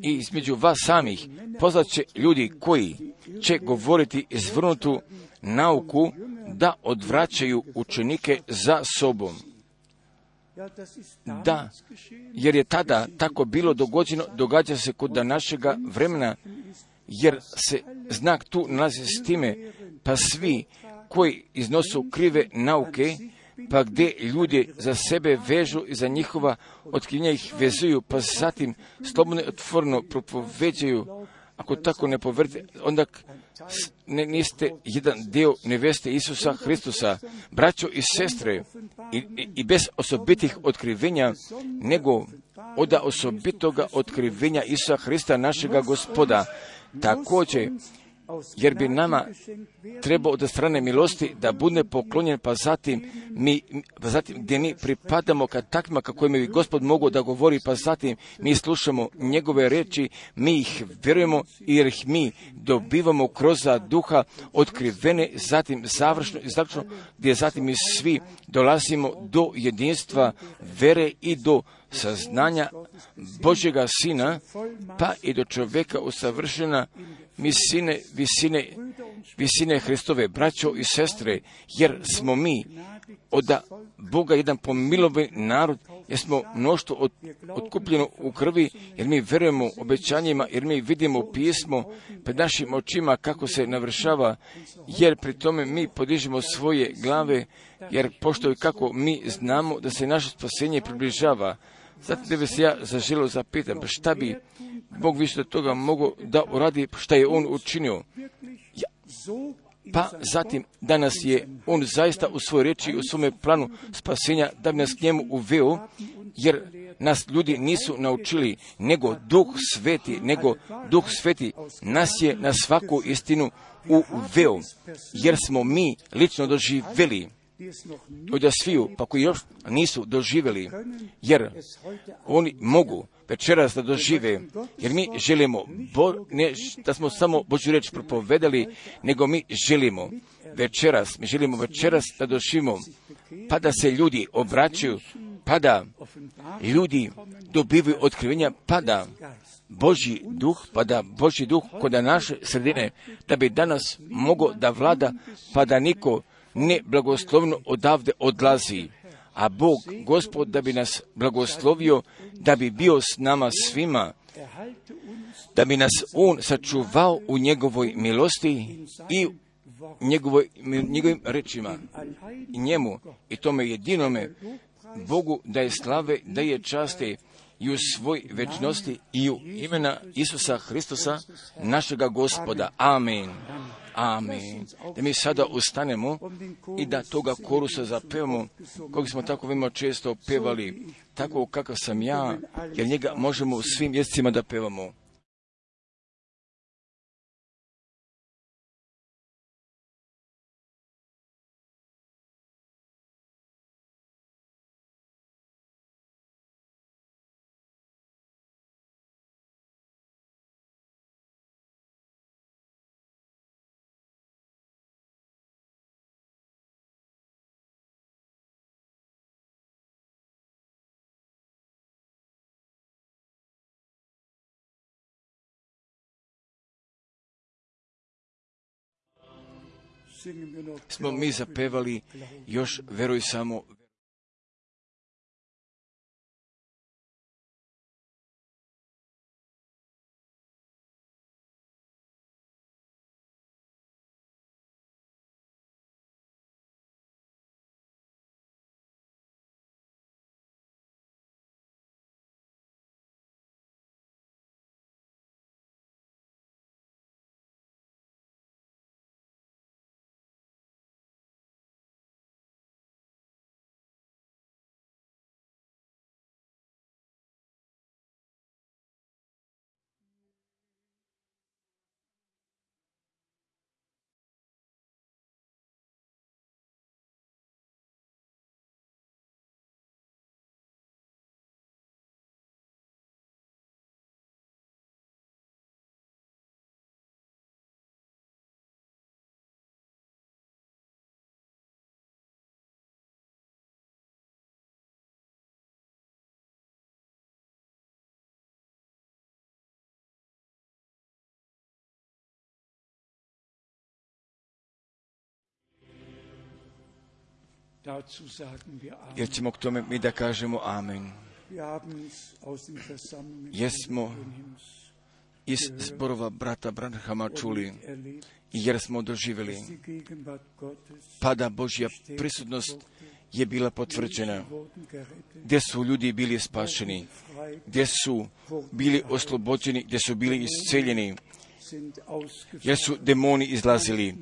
I između vas samih pozvat će ljudi koji će govoriti izvrnutu nauku, da odvraćaju učenike za sobom. Da, jer je tada tako bilo dogođeno, događa se kod današnjega vremena, jer se znak tu nalazi s time, pa svi koji iznosu krive nauke, pa gdje ljudi za sebe vežu i za njihova otkrivenja ih vezuju, pa zatim slobodno i otvoreno propoveđaju, ako tako ne poverite, onda niste jedan dio neveste Isusa Hristusa, braćo i sestre, i bez osobitih otkrivenja, nego od osobitoga otkrivenja Isusa Hrista, našega Gospoda. Također, jer bi nama trebao od strane milosti da bude poklonjen, pa zatim gdje mi pripadamo kad takvima kako mi Gospod mogu da govori, pa zatim mi slušamo njegove riječi, mi ih vjerujemo jer ih mi dobivamo kroz duha otkrivene, zatim završno i zaključno, gdje zatim mi svi dolazimo do jedinstva vere i do saznanja Božjega Sina, pa i do čovjeka usavršena visine Hristove, braćo i sestre, jer smo mi od Boga jedan pomilovan narod, jer smo mnoštvo otkupljeno u krvi, jer mi vjerujemo obećanjima, jer mi vidimo pismo pred našim očima kako se navršava, jer pri tome mi podižemo svoje glave, jer pošto i kako mi znamo da se naše spasenje približava. Zato da bi se ja zaželio zapitam, šta bi Bog više od toga mogao da uradi, šta je On učinio. Pa zatim, danas je On zaista u svojoj riječi, u svome planu spasenja, da bi nas k njemu uveo, jer nas ljudi nisu naučili, nego Duh Sveti nas je na svaku istinu uveo, jer smo mi lično doživjeli od sviju, pa koji još nisu doživjeli, jer oni mogu večeras da dožive, jer mi želimo, ne da smo samo Božju riječ propovedali, nego mi želimo večeras da doživimo, pa da se ljudi obraćaju, pa da ljudi dobivaju otkrivenja, pa da Božji duh kod naše sredine, da bi danas mogao da vlada, pa da niko ne blagoslovno odavde odlazi, a Bog, Gospod, da bi nas blagoslovio, da bi bio s nama svima, da bi nas On sačuvao u njegovoj milosti i njegovim rečima i njemu i tome jedinome Bogu da je slave, da je časti i u svoj večnosti i u imena Isusa Hristusa, našega Gospoda. Amen. Amen. Da mi sada ustanemo i da toga korusa zapevamo, kog smo tako veoma često pevali, tako kakav sam ja, jer njega možemo u svim jezicima da pevamo. Smo mi zapevali još veruj samo jer ćemo k tome mi da kažemo amen. Jesmo iz zborova brata Branhama čuli, jer smo doživjeli pada Božja prisutnost je bila potvrđena, gdje su ljudi bili spašeni, gdje su bili oslobođeni, gdje su bili isceljeni, jer su demoni izlazili.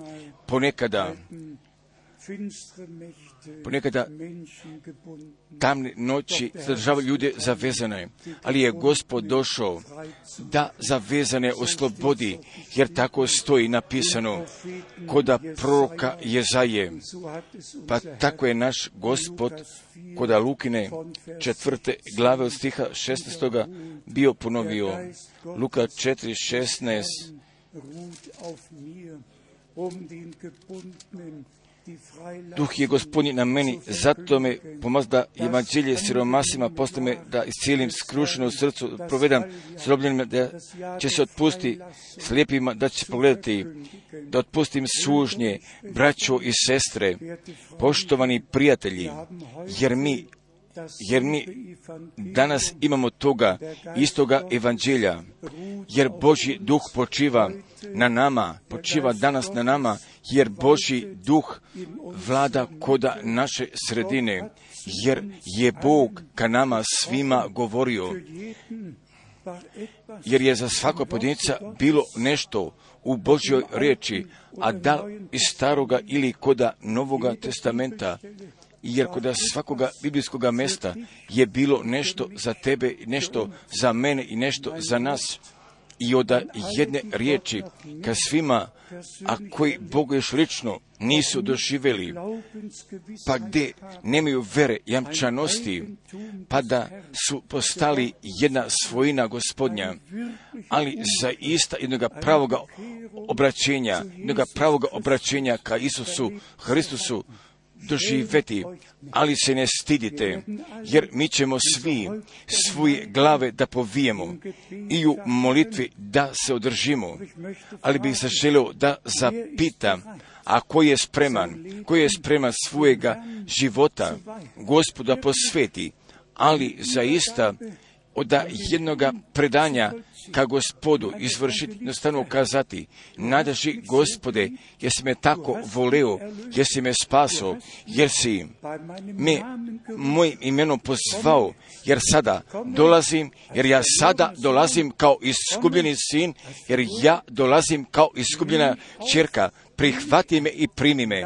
Ponekada tamne noći zadržavaju ljude zavezane, ali je Gospod došao da zavezane oslobodi, jer tako stoji napisano koda proroka Jezaje. Pa tako je naš Gospod koda Lukine 4. glave od stiha 16. bio ponovio. Luka 4:16. Duh je Gospodnji na meni, zato me pomaz da evanđelje siromasima postane da iscijelim skrušeno srcu, provedam zrobljenima da će se otpusti slijepima, da će pogledati, da otpustim sužnje, braćo i sestre, poštovani prijatelji, jer mi danas imamo toga istoga evanđelja, jer Božji duh počiva na nama, počiva danas na nama, jer Božji duh vlada koda naše sredine, jer je Bog ka nama svima govorio, jer je za svakog pojedinca bilo nešto u Božjoj riječi, a da iz staroga ili koda Novoga testamenta, jer kod svakoga biblijskoga mjesta je bilo nešto za tebe, nešto za mene i nešto za nas. I od jedne riječi ka svima, a koji Boga još lično nisu doživjeli, pa gdje nemaju vere, jamčanosti, pa da su postali jedna svojina Gospodnja, ali zaista jednoga pravoga obraćenja ka Isusu Hristusu doživjeti, ali se ne stidite, jer mi ćemo svi svoje glave da povijemo i u molitvi da se održimo, ali bih se želio da zapitam, a ko je spreman svojega života Gospoda posveti, ali zaista od jednoga predanja ka Gospodu izvršiti, jednostavno kazati, nadaži Gospode, jer si me tako voleo, jer si me spaso, jer si me mojim imenom pozvao, jer ja sada dolazim kao iskupljeni sin, jer ja dolazim kao iskupljena ćerka, prihvati me i primi me.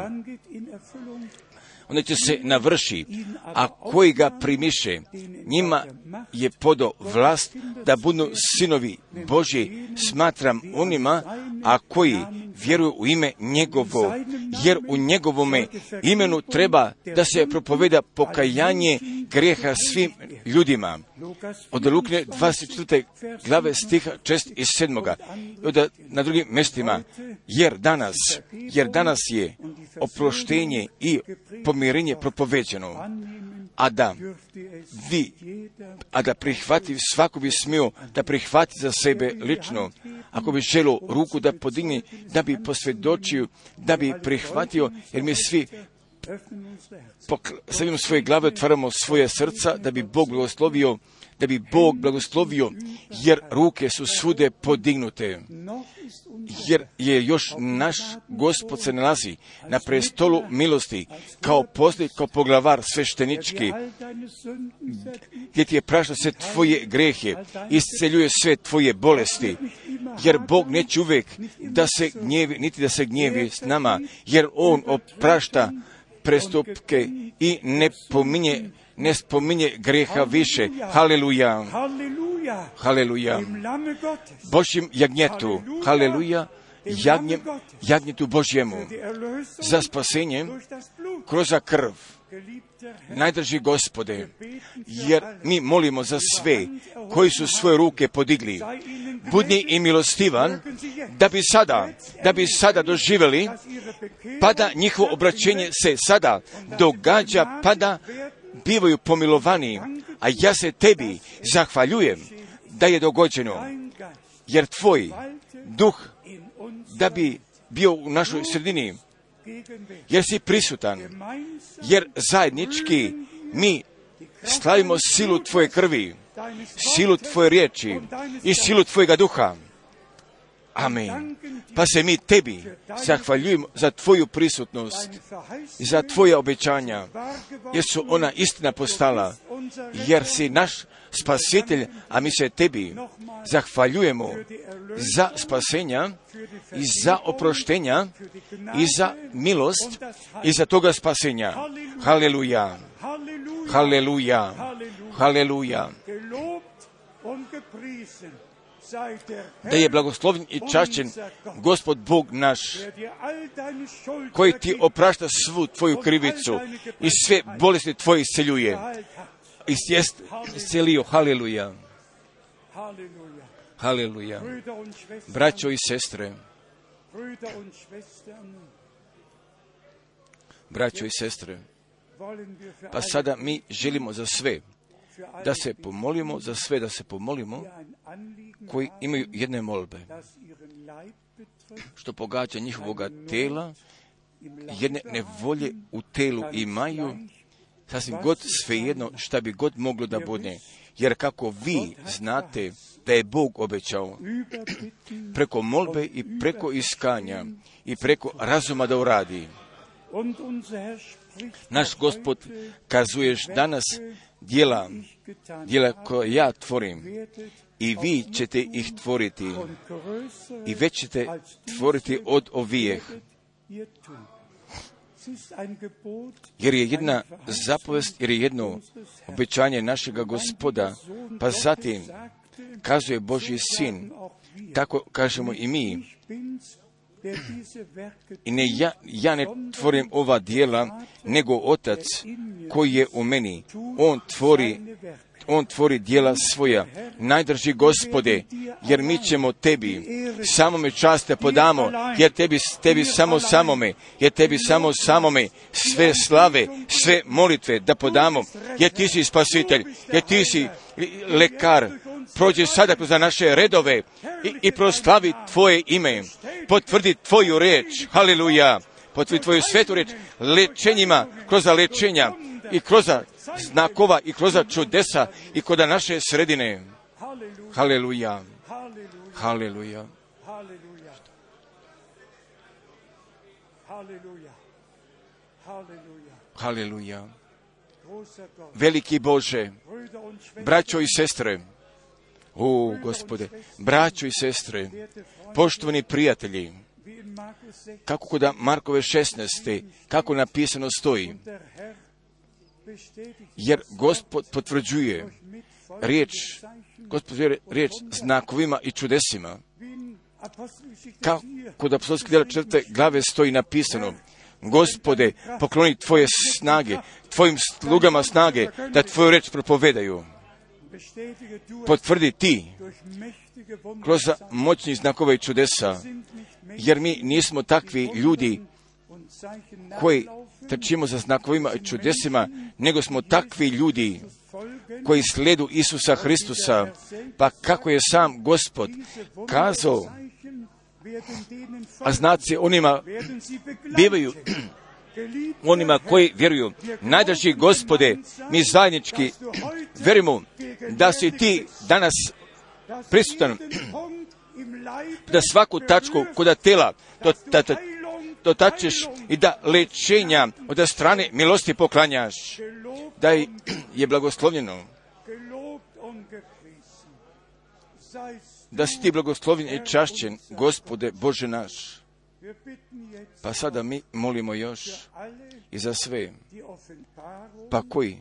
Onda će se navrši, a koji ga primiše, njima je podao vlast da budu sinovi Božji, smatram onima, a koji vjeruju u ime njegovo, jer u njegovome imenu treba da se propoveda pokajanje grijeha svim ljudima. Od Lukine 24. glave stiha 6 i 7. Od na drugim mjestima, jer danas je oproštenje i pomirenje propoveđeno, a da prihvati, svako bi smio da prihvati za sebe lično, ako bi želio ruku da podigne, da bi posvjedočio, da bi prihvatio, jer mi svi stavimo svoje glave, otvaramo svoje srca, da bi Bog blagoslovio, jer ruke su svude podignute, jer je još naš Gospod se nalazi na prestolu milosti, kao poglavar sveštenički, gdje ti je prašta sve tvoje grehe, isceljuje sve tvoje bolesti, jer Bog neće uvijek da se gnjevi, niti da se gnjevi s nama, jer On oprašta prestupke i ne spominje greha više. Haleluja. Haleluja. Božjem jagnjetu. Haleluja. Jagnjetu Božjemu. Za spasenje kroz krv. Najdraži Gospode, jer mi molimo za sve koji su svoje ruke podigli. Budni i milostivan, da bi sada doživjeli, pa da njihovo obraćenje se sada događa, pa da bivaju pomilovani, a ja se tebi zahvaljujem da je dogođeno, jer tvoj duh da bi bio u našoj sredini, jer si prisutan, jer zajednički mi slavimo silu Tvoje krvi, silu Tvoje riječi i silu Tvojega duha. Amen. Pa se mi Tebi zahvaljujemo za Tvoju prisutnost i za Tvoja obećanja, jer su ona istina postala, jer si naš spasitelj, a mi se Tebi zahvaljujemo za spasenja i za oproštenja i za milost i za toga spasenja. Haleluja, haleluja, haleluja. Da je blagoslovljen i čašćen Gospod Bog naš, koji ti oprašta svu tvoju krivicu i sve bolesti tvoje isceljuje. Iscelio, haleluja, haleluja. Braćo i sestre, braćo i sestre, pa sada mi želimo za sve da se pomolimo, za sve da se pomolimo, koji imaju jedne molbe, što pogađa njihovoga tela, jedne nevolje u telu imaju, sasvim god svejedno šta bi god moglo da bude. Jer kako vi znate da je Bog obećao preko molbe i preko iskanja i preko razuma da uradi. Naš Gospod kazuješ danas djela koje ja tvorim i vi ćete ih tvoriti i već ćete tvoriti od ovijeh. Jer je jedna zapovest, jer je jedno obećanje našega Gospoda, pa zatim kazuje Božji sin, tako kažemo i mi. I ne ja ne tvorim ova djela, nego Otac koji je u meni. On tvori djela svoja. Najdrži Gospode, jer mi ćemo Tebi samome čast te podamo, jer tebi samo samome sve slave, sve molitve da podamo, jer Ti si spasitelj, jer Ti si lekar. Prođi sada kroz naše redove i proslavi Tvoje ime. Potvrdi Tvoju riječ. Haleluja. Potvrdi Tvoju svetu riječ lečenjima, kroz lečenja i kroz znakova i kroz čudesa i kod naše sredine. Haleluja. Haleluja. Haleluja. Veliki Bože, braćo i sestre, o Gospode, braćo i sestre, poštovani prijatelji, kako kod Markove 16. kako napisano stoji, jer Gospod potvrđuje riječ znakovima i čudesima. Kako kod apostolskih djela 4. glave stoji napisano, Gospode, pokloni Tvoje snage, Tvojim slugama snage, da Tvoju riječ propovedaju. Potvrdi Ti kroz moćnih znakova i čudesa, jer mi nismo takvi ljudi koji trčimo za znakovima i čudesima, nego smo takvi ljudi koji sledu Isusa Hristusa. Pa kako je sam Gospod kazao, a znaci onima bivaju onima koji vjeruju. Najdrži Gospode, mi zajednički vjerujemo da si Ti danas prisutan, da svaku tačku kod tela dotačeš i da lečenja od strane milosti poklanjaš, da je blagoslovljeno, da si Ti blagoslovljen i čašćen, Gospode Bože naš. Pa sada mi molimo još i za sve, pa koji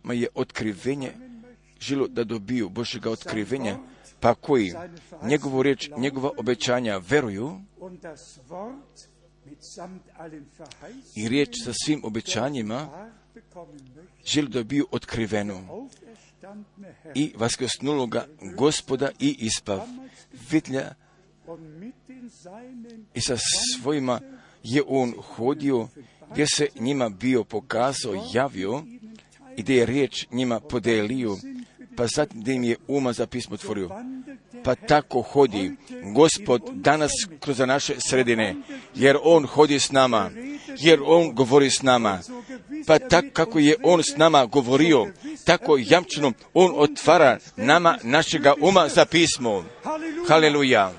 ma je otkrivenje želo da dobiju Božjega otkrivenja, pa koji njegovu riječ, njegova obećanja veruju i riječ sa svim obećanjima žele da dobiju otkriveno i vaskrsnuloga Gospoda i ispav vidlja i sa svojima je on hodio, gdje se njima bio pokazao, javio i gdje je riječ njima podelio, pa zatim gdje im je uma za pismo otvorio. Pa tako hodi Gospod danas kroz naše sredine, jer On hodi s nama, jer On govori s nama. Pa tako kako je On s nama govorio, tako jamčeno On otvara nama našega uma za pismo. Haleluja.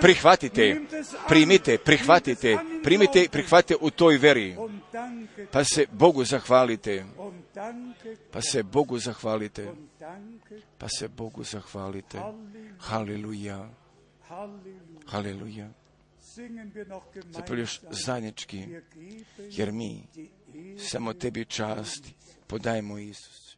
Prihvatite, primite, prihvatite, primite, prihvatite u toj veri. Pa se Bogu zahvalite. Pa se Bogu zahvalite. Pa se Bogu zahvalite. Haleluja. Haleluja. Zapravo još zajednički, jer mi samo tebi čast podajemo, Isus.